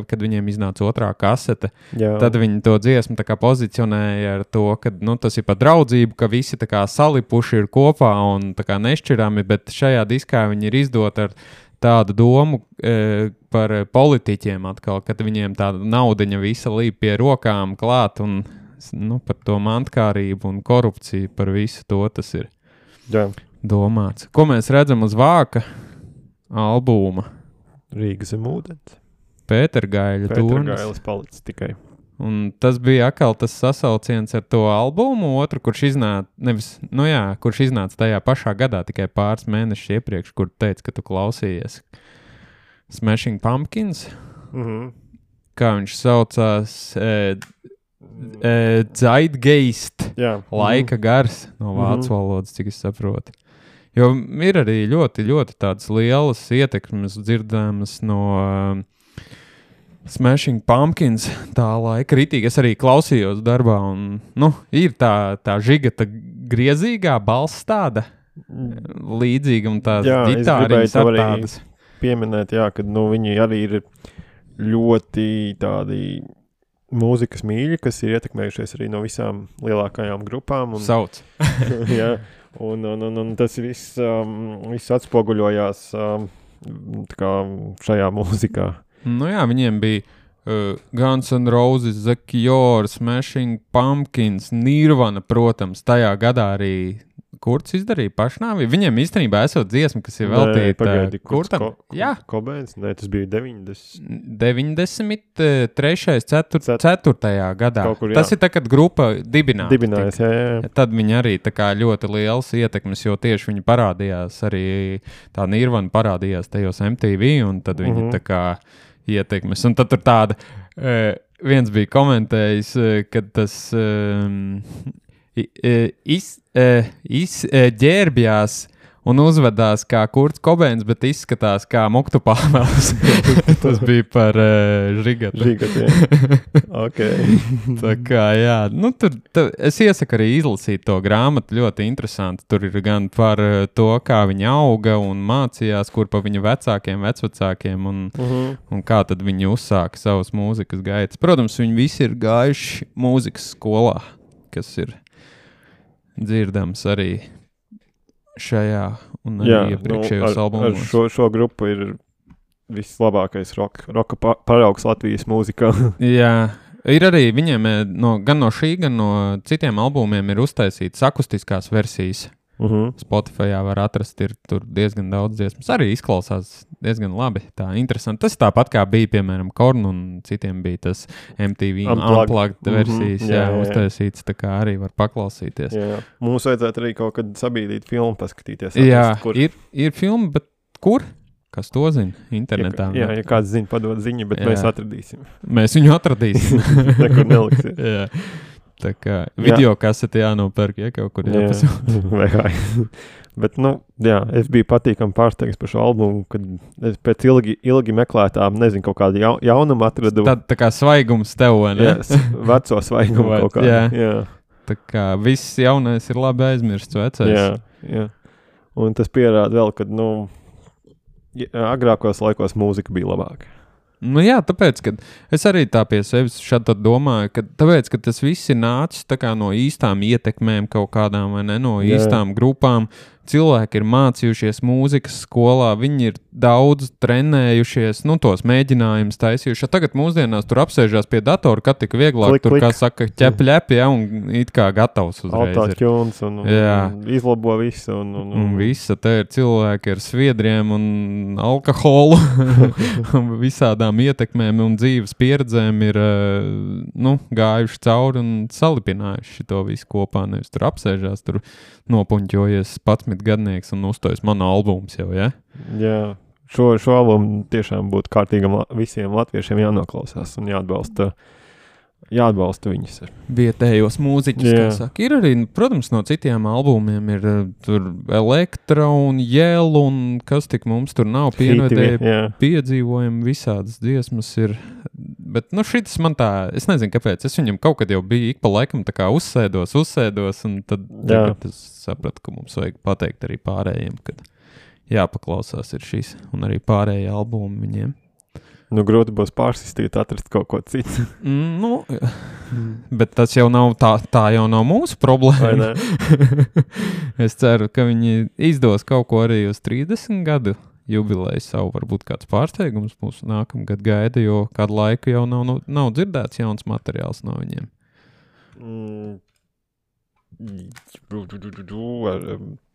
kad viņiem iznāca otrā kasete. Jā. Tad viņi to dziesmu tā kā pozicionēja ar to, ka tas ir par draudzību, ka visi tā kā salipuši ir kopā un tā kā nešķirami, bet šajā diskā viņi ir izdot ar tādu domu par politiķiem atkal, kad viņiem tāda naudiņa visa līp pie rokām klāt un par to mantkārību un korupciju, par visu to tas ir domāts. Ko mēs redzam uz vāka albuma? Rīga zem ūdens. Pētergaiļa tornis. Pētergailis palicis tikai. Un tas bija atkal tas sasauciens ar to albumu, otru, kurš iznāca tajā pašā gadā, tikai pāris mēnešus iepriekš, kur teica, ka tu klausījies Smashing Pumpkins. Kā viņš saucās? Zeitgeist. Laika gars no vācu valodas, cik es saprotu. Jo ir arī ļoti, ļoti tādas lielas ietekmes dzirdāmas no Smashing Pumpkins tā laika ritīgi. Es arī klausījos darbā un, ir tā žigata griezīgā balss tāda līdzīga un tās ģitāriņas ar tādas. Pieminēt, ka viņi arī ir ļoti tādi mūzikas mīļi, kas ir ietekmējušies arī no visām lielākajām grupām. Sauc. Jā, un tas viss atspoguļojās tā kā šajā mūzikā. Viņiem bija Guns N' Roses, The Cure, Smashing Pumpkins, Nirvana, protams, tajā gadā arī Kurts izdarīja pašnāvi. Viņiem īstenībā esot dziesma, kas ir veltīta Kurtam. Kobēns? Nē, tas bija 93. 4. gadā. Kur, tas ir tā, kad grupa dibinājās. Jā. Tad viņi arī tā kā ļoti liels ietekmes, jo tieši viņi parādījās arī, tā Nirvana parādījās tajos MTV, un tad viņi tā kā ietekmes. Un tad tur tāda, viens bija komentējis, kad tas ģērbjās un uzvedās kā Kurts Kobēns, bet izskatās kā Muktu Pāvels. Tas bija par žigatu. Okay. Tā kā, jā. Es iesaku arī izlasīt to grāmatu, ļoti interesanti. Tur ir gan par to, kā viņa auga un mācījās, kur pa viņa vecvecākiem un kā tad viņi uzsāka savas mūzikas gaitas. Protams, viņi visi ir gājuši mūzikas skolā, kas ir dzirdams arī šajā un arī iepriekšējos albumos. Šo grupu ir vislabākais roka paraugs Latvijas mūzikā. Jā, ir arī viņiem gan no šī, gan no citiem albumiem ir uztaisītas akustiskās versijas. Spotifyā var atrast, ir tur diezgan daudz dziesmas. Arī izklausās diezgan labi, tā interesanti. Tas tāpat kā bija, piemēram, Korn un citiem bija tas MTV Unplugged versijas, uztaisīts, tā kā arī var paklausīties. Jā. Mums vajadzētu arī kaut kad sabīdīt filmu, paskatīties. Ir filma, bet kur? Kas to zina? Internetā. Ja kāds zina, padod ziņu, bet mēs atradīsim. Mēs viņu atradīsim. Nekur neliksies. Jā. Tā kā video kaseti jānopērk, kaut kur jāpasūta. Bet, es biju patīkami pārsteigts par šo albumu, kad es pēc ilgi meklētām, nezinu, kaut kādu jaunumu atradu. Tad tā kā svaigums tev, ne? Jā, veco svaigumu kaut kā. Jā. Tā kā viss jaunais ir labi aizmirsts vecais. Jā. Un tas pierāda vēl, kad, agrākos laikos mūzika bija labāka. Tāpēc, ka es arī tā pie sevis šādi domāju, ka tāpēc, ka tas viss ir nācis tā kā no īstām ietekmēm kaut kādām vai ne, no īstām grupām. Cilvēki ir mācījušies mūzikas skolā, viņi ir daudz trenējušies, tos mēģinājumus taisījuši. Tagad mūsdienās tur apsēžās pie datora, kad tik vieglāk, tur, kā saka, ķep, un it kā gatavs uzreiz. Autotunes un izlabo visu. Un visa, te ir cilvēki ar sviedriem un alkoholu, un visādām ietekmēm un dzīves pieredzēm ir, gājuši cauri un salipinājuši to visu kopā, nevis tur apsēžās, tur nopuņķojies 11 gadnieks un uzstājas mana albums jau, ja? Jā, šo albumu tiešām būtu kārtīgam visiem latviešiem jānoklausās un jāatbalsta viņus. Vietējos mūziķus, kā saka. Ir arī, protams, no citiem albumiem ir tur Elektra un Jēl un kas tik mums tur nav piedzīvojumi, visādas dziesmas ir. Bet, šitas man tā, es nezinu, kāpēc. Es viņam kaut kad jau biju ik pa laikam tā kā uzsēdos, un tad es sapratu, ka mums vajag pateikt arī pārējiem, kad jāpaklausās ir šīs, un arī pārējie albumi viņiem. Grūti būs pārsistīt, atrast kaut ko citu. Bet tas jau nav tā jau nav mūsu problēma. Es ceru, ka viņi izdos kaut ko arī uz 30 gadu jubileju savu, varbūt kāds pārsteigums mūsu nākamgad gaida, jo kādu laiku jau nav dzirdēts jauns materiāls no viņiem.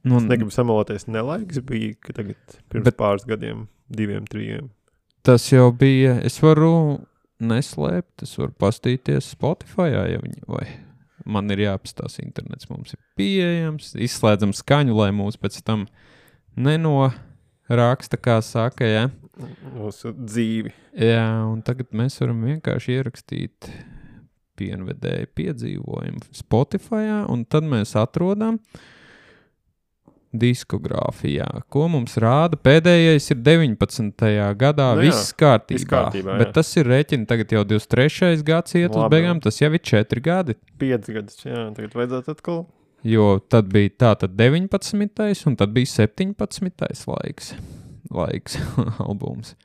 Es negribu samaloties, nelaiks bija, ka tagad pirms pāris gadiem, 2, 3. Tas jau bija, es varu neslēpt, es varu pastīties Spotify'ā, ja viņi, vai man ir jāapstās internets, mums ir pieejams, izslēdzam skaņu, lai mūs pēc tam nenoraksta, kā saka, ja? Mūsu dzīvi. Jā, un tagad mēs varam vienkārši ierakstīt pienvedēju piedzīvojumu Spotify'ā, un tad mēs atrodam diskogrāfijā, ko mums rāda. Pēdējais ir 19. gadā, viss kārtībā, bet tas ir rēķini tagad jau 23. gads iet uz beigām, tas jau ir 4 gadi. 5 gadus, jā, tagad vajadzētu atkal. Jo tad bija tātad 19. un tad bija 17. laiks albums.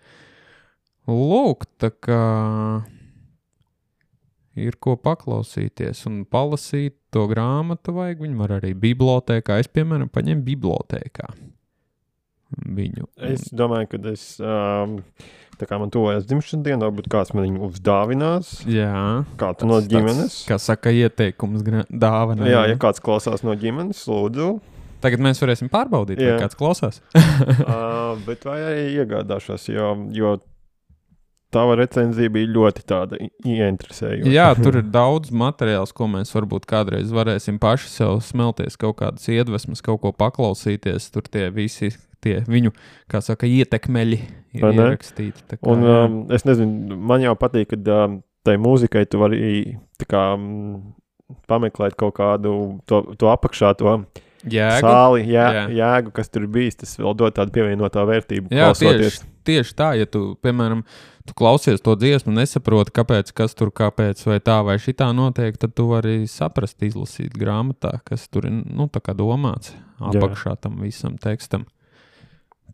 Lūk, tā kā ir ko paklausīties un palasīt to grāmatu vajag, viņi var arī bibliotēkā. Es, piemēram, paņemu bibliotēkā viņu. Es domāju, ka tā kā man tuvojas dzimšanas diena, varbūt kāds man viņu uzdāvinās. Jā. Kāds no ģimenes. Kā saka, ieteikums dāvana. Jā, ja kāds klausās no ģimenes, lūdzu. Tagad mēs varēsim pārbaudīt, vai kāds klausās. Bet vai arī iegādāšos, jo tava recenzija bija ļoti tāda ieinteresējoša. Jā, tur ir daudz materiāls, ko mēs varbūt kādreiz varēsim paši sev smelties, kaut kādas iedvesmas, kaut ko paklausīties. Tur tie visi viņu, kā saka, ietekmeļi ir ierakstīti. Tā kā, un es nezinu, man jau patīk, ka tai mūzikai tu vari tā kā pameklēt kaut kādu to apakšā, to jēgu. Sāli, jēgu, kas tur bijis, tas vēl dod tādu pievienotā vērtību. Jā, tieši tā, ja tu, piemēram, tu klausies to dziesmu, nesaproti, kāpēc vai tā vai šitā notiek, tad tu vari saprast, izlasīt grāmatā, kas tur ir, tā kā domāts apakšā tam visam tekstam.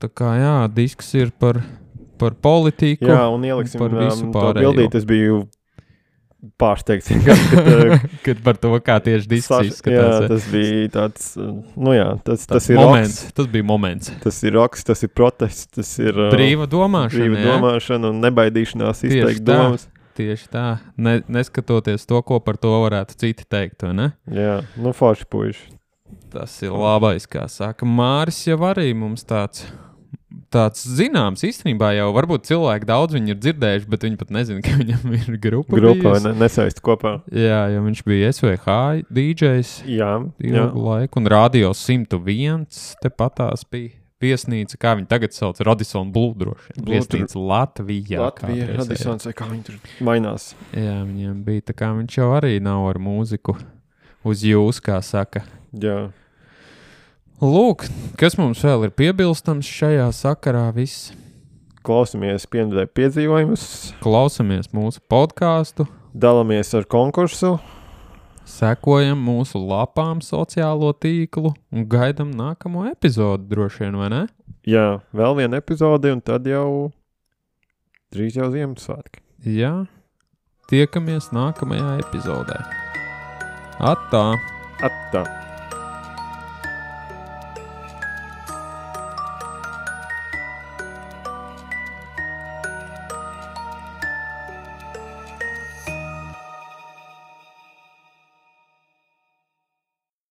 Tā kā, jā, disks ir par politiku. Jā, un ieliksim par visu to bildīt, es biju pārsteigts. Kad par to, kā tieši disks izskatās. Jā, tas bija tāds, tas ir moments, roks. Tas bija moments. Tas ir roks, tas ir protests, tas ir brīva domāšana un nebaidīšanās izteikt domas. Tieši tā, neskatoties to, ko par to varētu citi teikt, vai ne? Jā, forši puiši. Tas ir labais, kā saka. Māris jau arī mums tāds zināms, īstenībā jau varbūt cilvēki daudz viņu ir dzirdējuši, bet viņi pat nezina, ka viņam ir grupa nesaisti kopā. Jā, jo viņš bija SVH DJs ilgu laiku, un Radio 101 tepatās bija viesnīca, kā viņi tagad sauc, Radisson Blu droši. Viesnīca Latvijā. Radissons, vai kā viņi tur mainās. Jā, viņiem bija, tā kā viņš jau arī nav ar mūziku uz jūs, kā saka. Jā. Lūk, kas mums vēl ir piebilstams šajā sakarā viss? Klausamies pienvedēju piedzīvojumus. Klausamies mūsu podcastu. Dalamies ar konkursu. Sekojam mūsu lapām sociālo tīklu un gaidam nākamo epizodu droši vien, vai ne? Jā, vēl viena epizode un tad jau drīz jau Ziemassvētki. Jā, tiekamies nākamajā epizodē. Attā! Attā!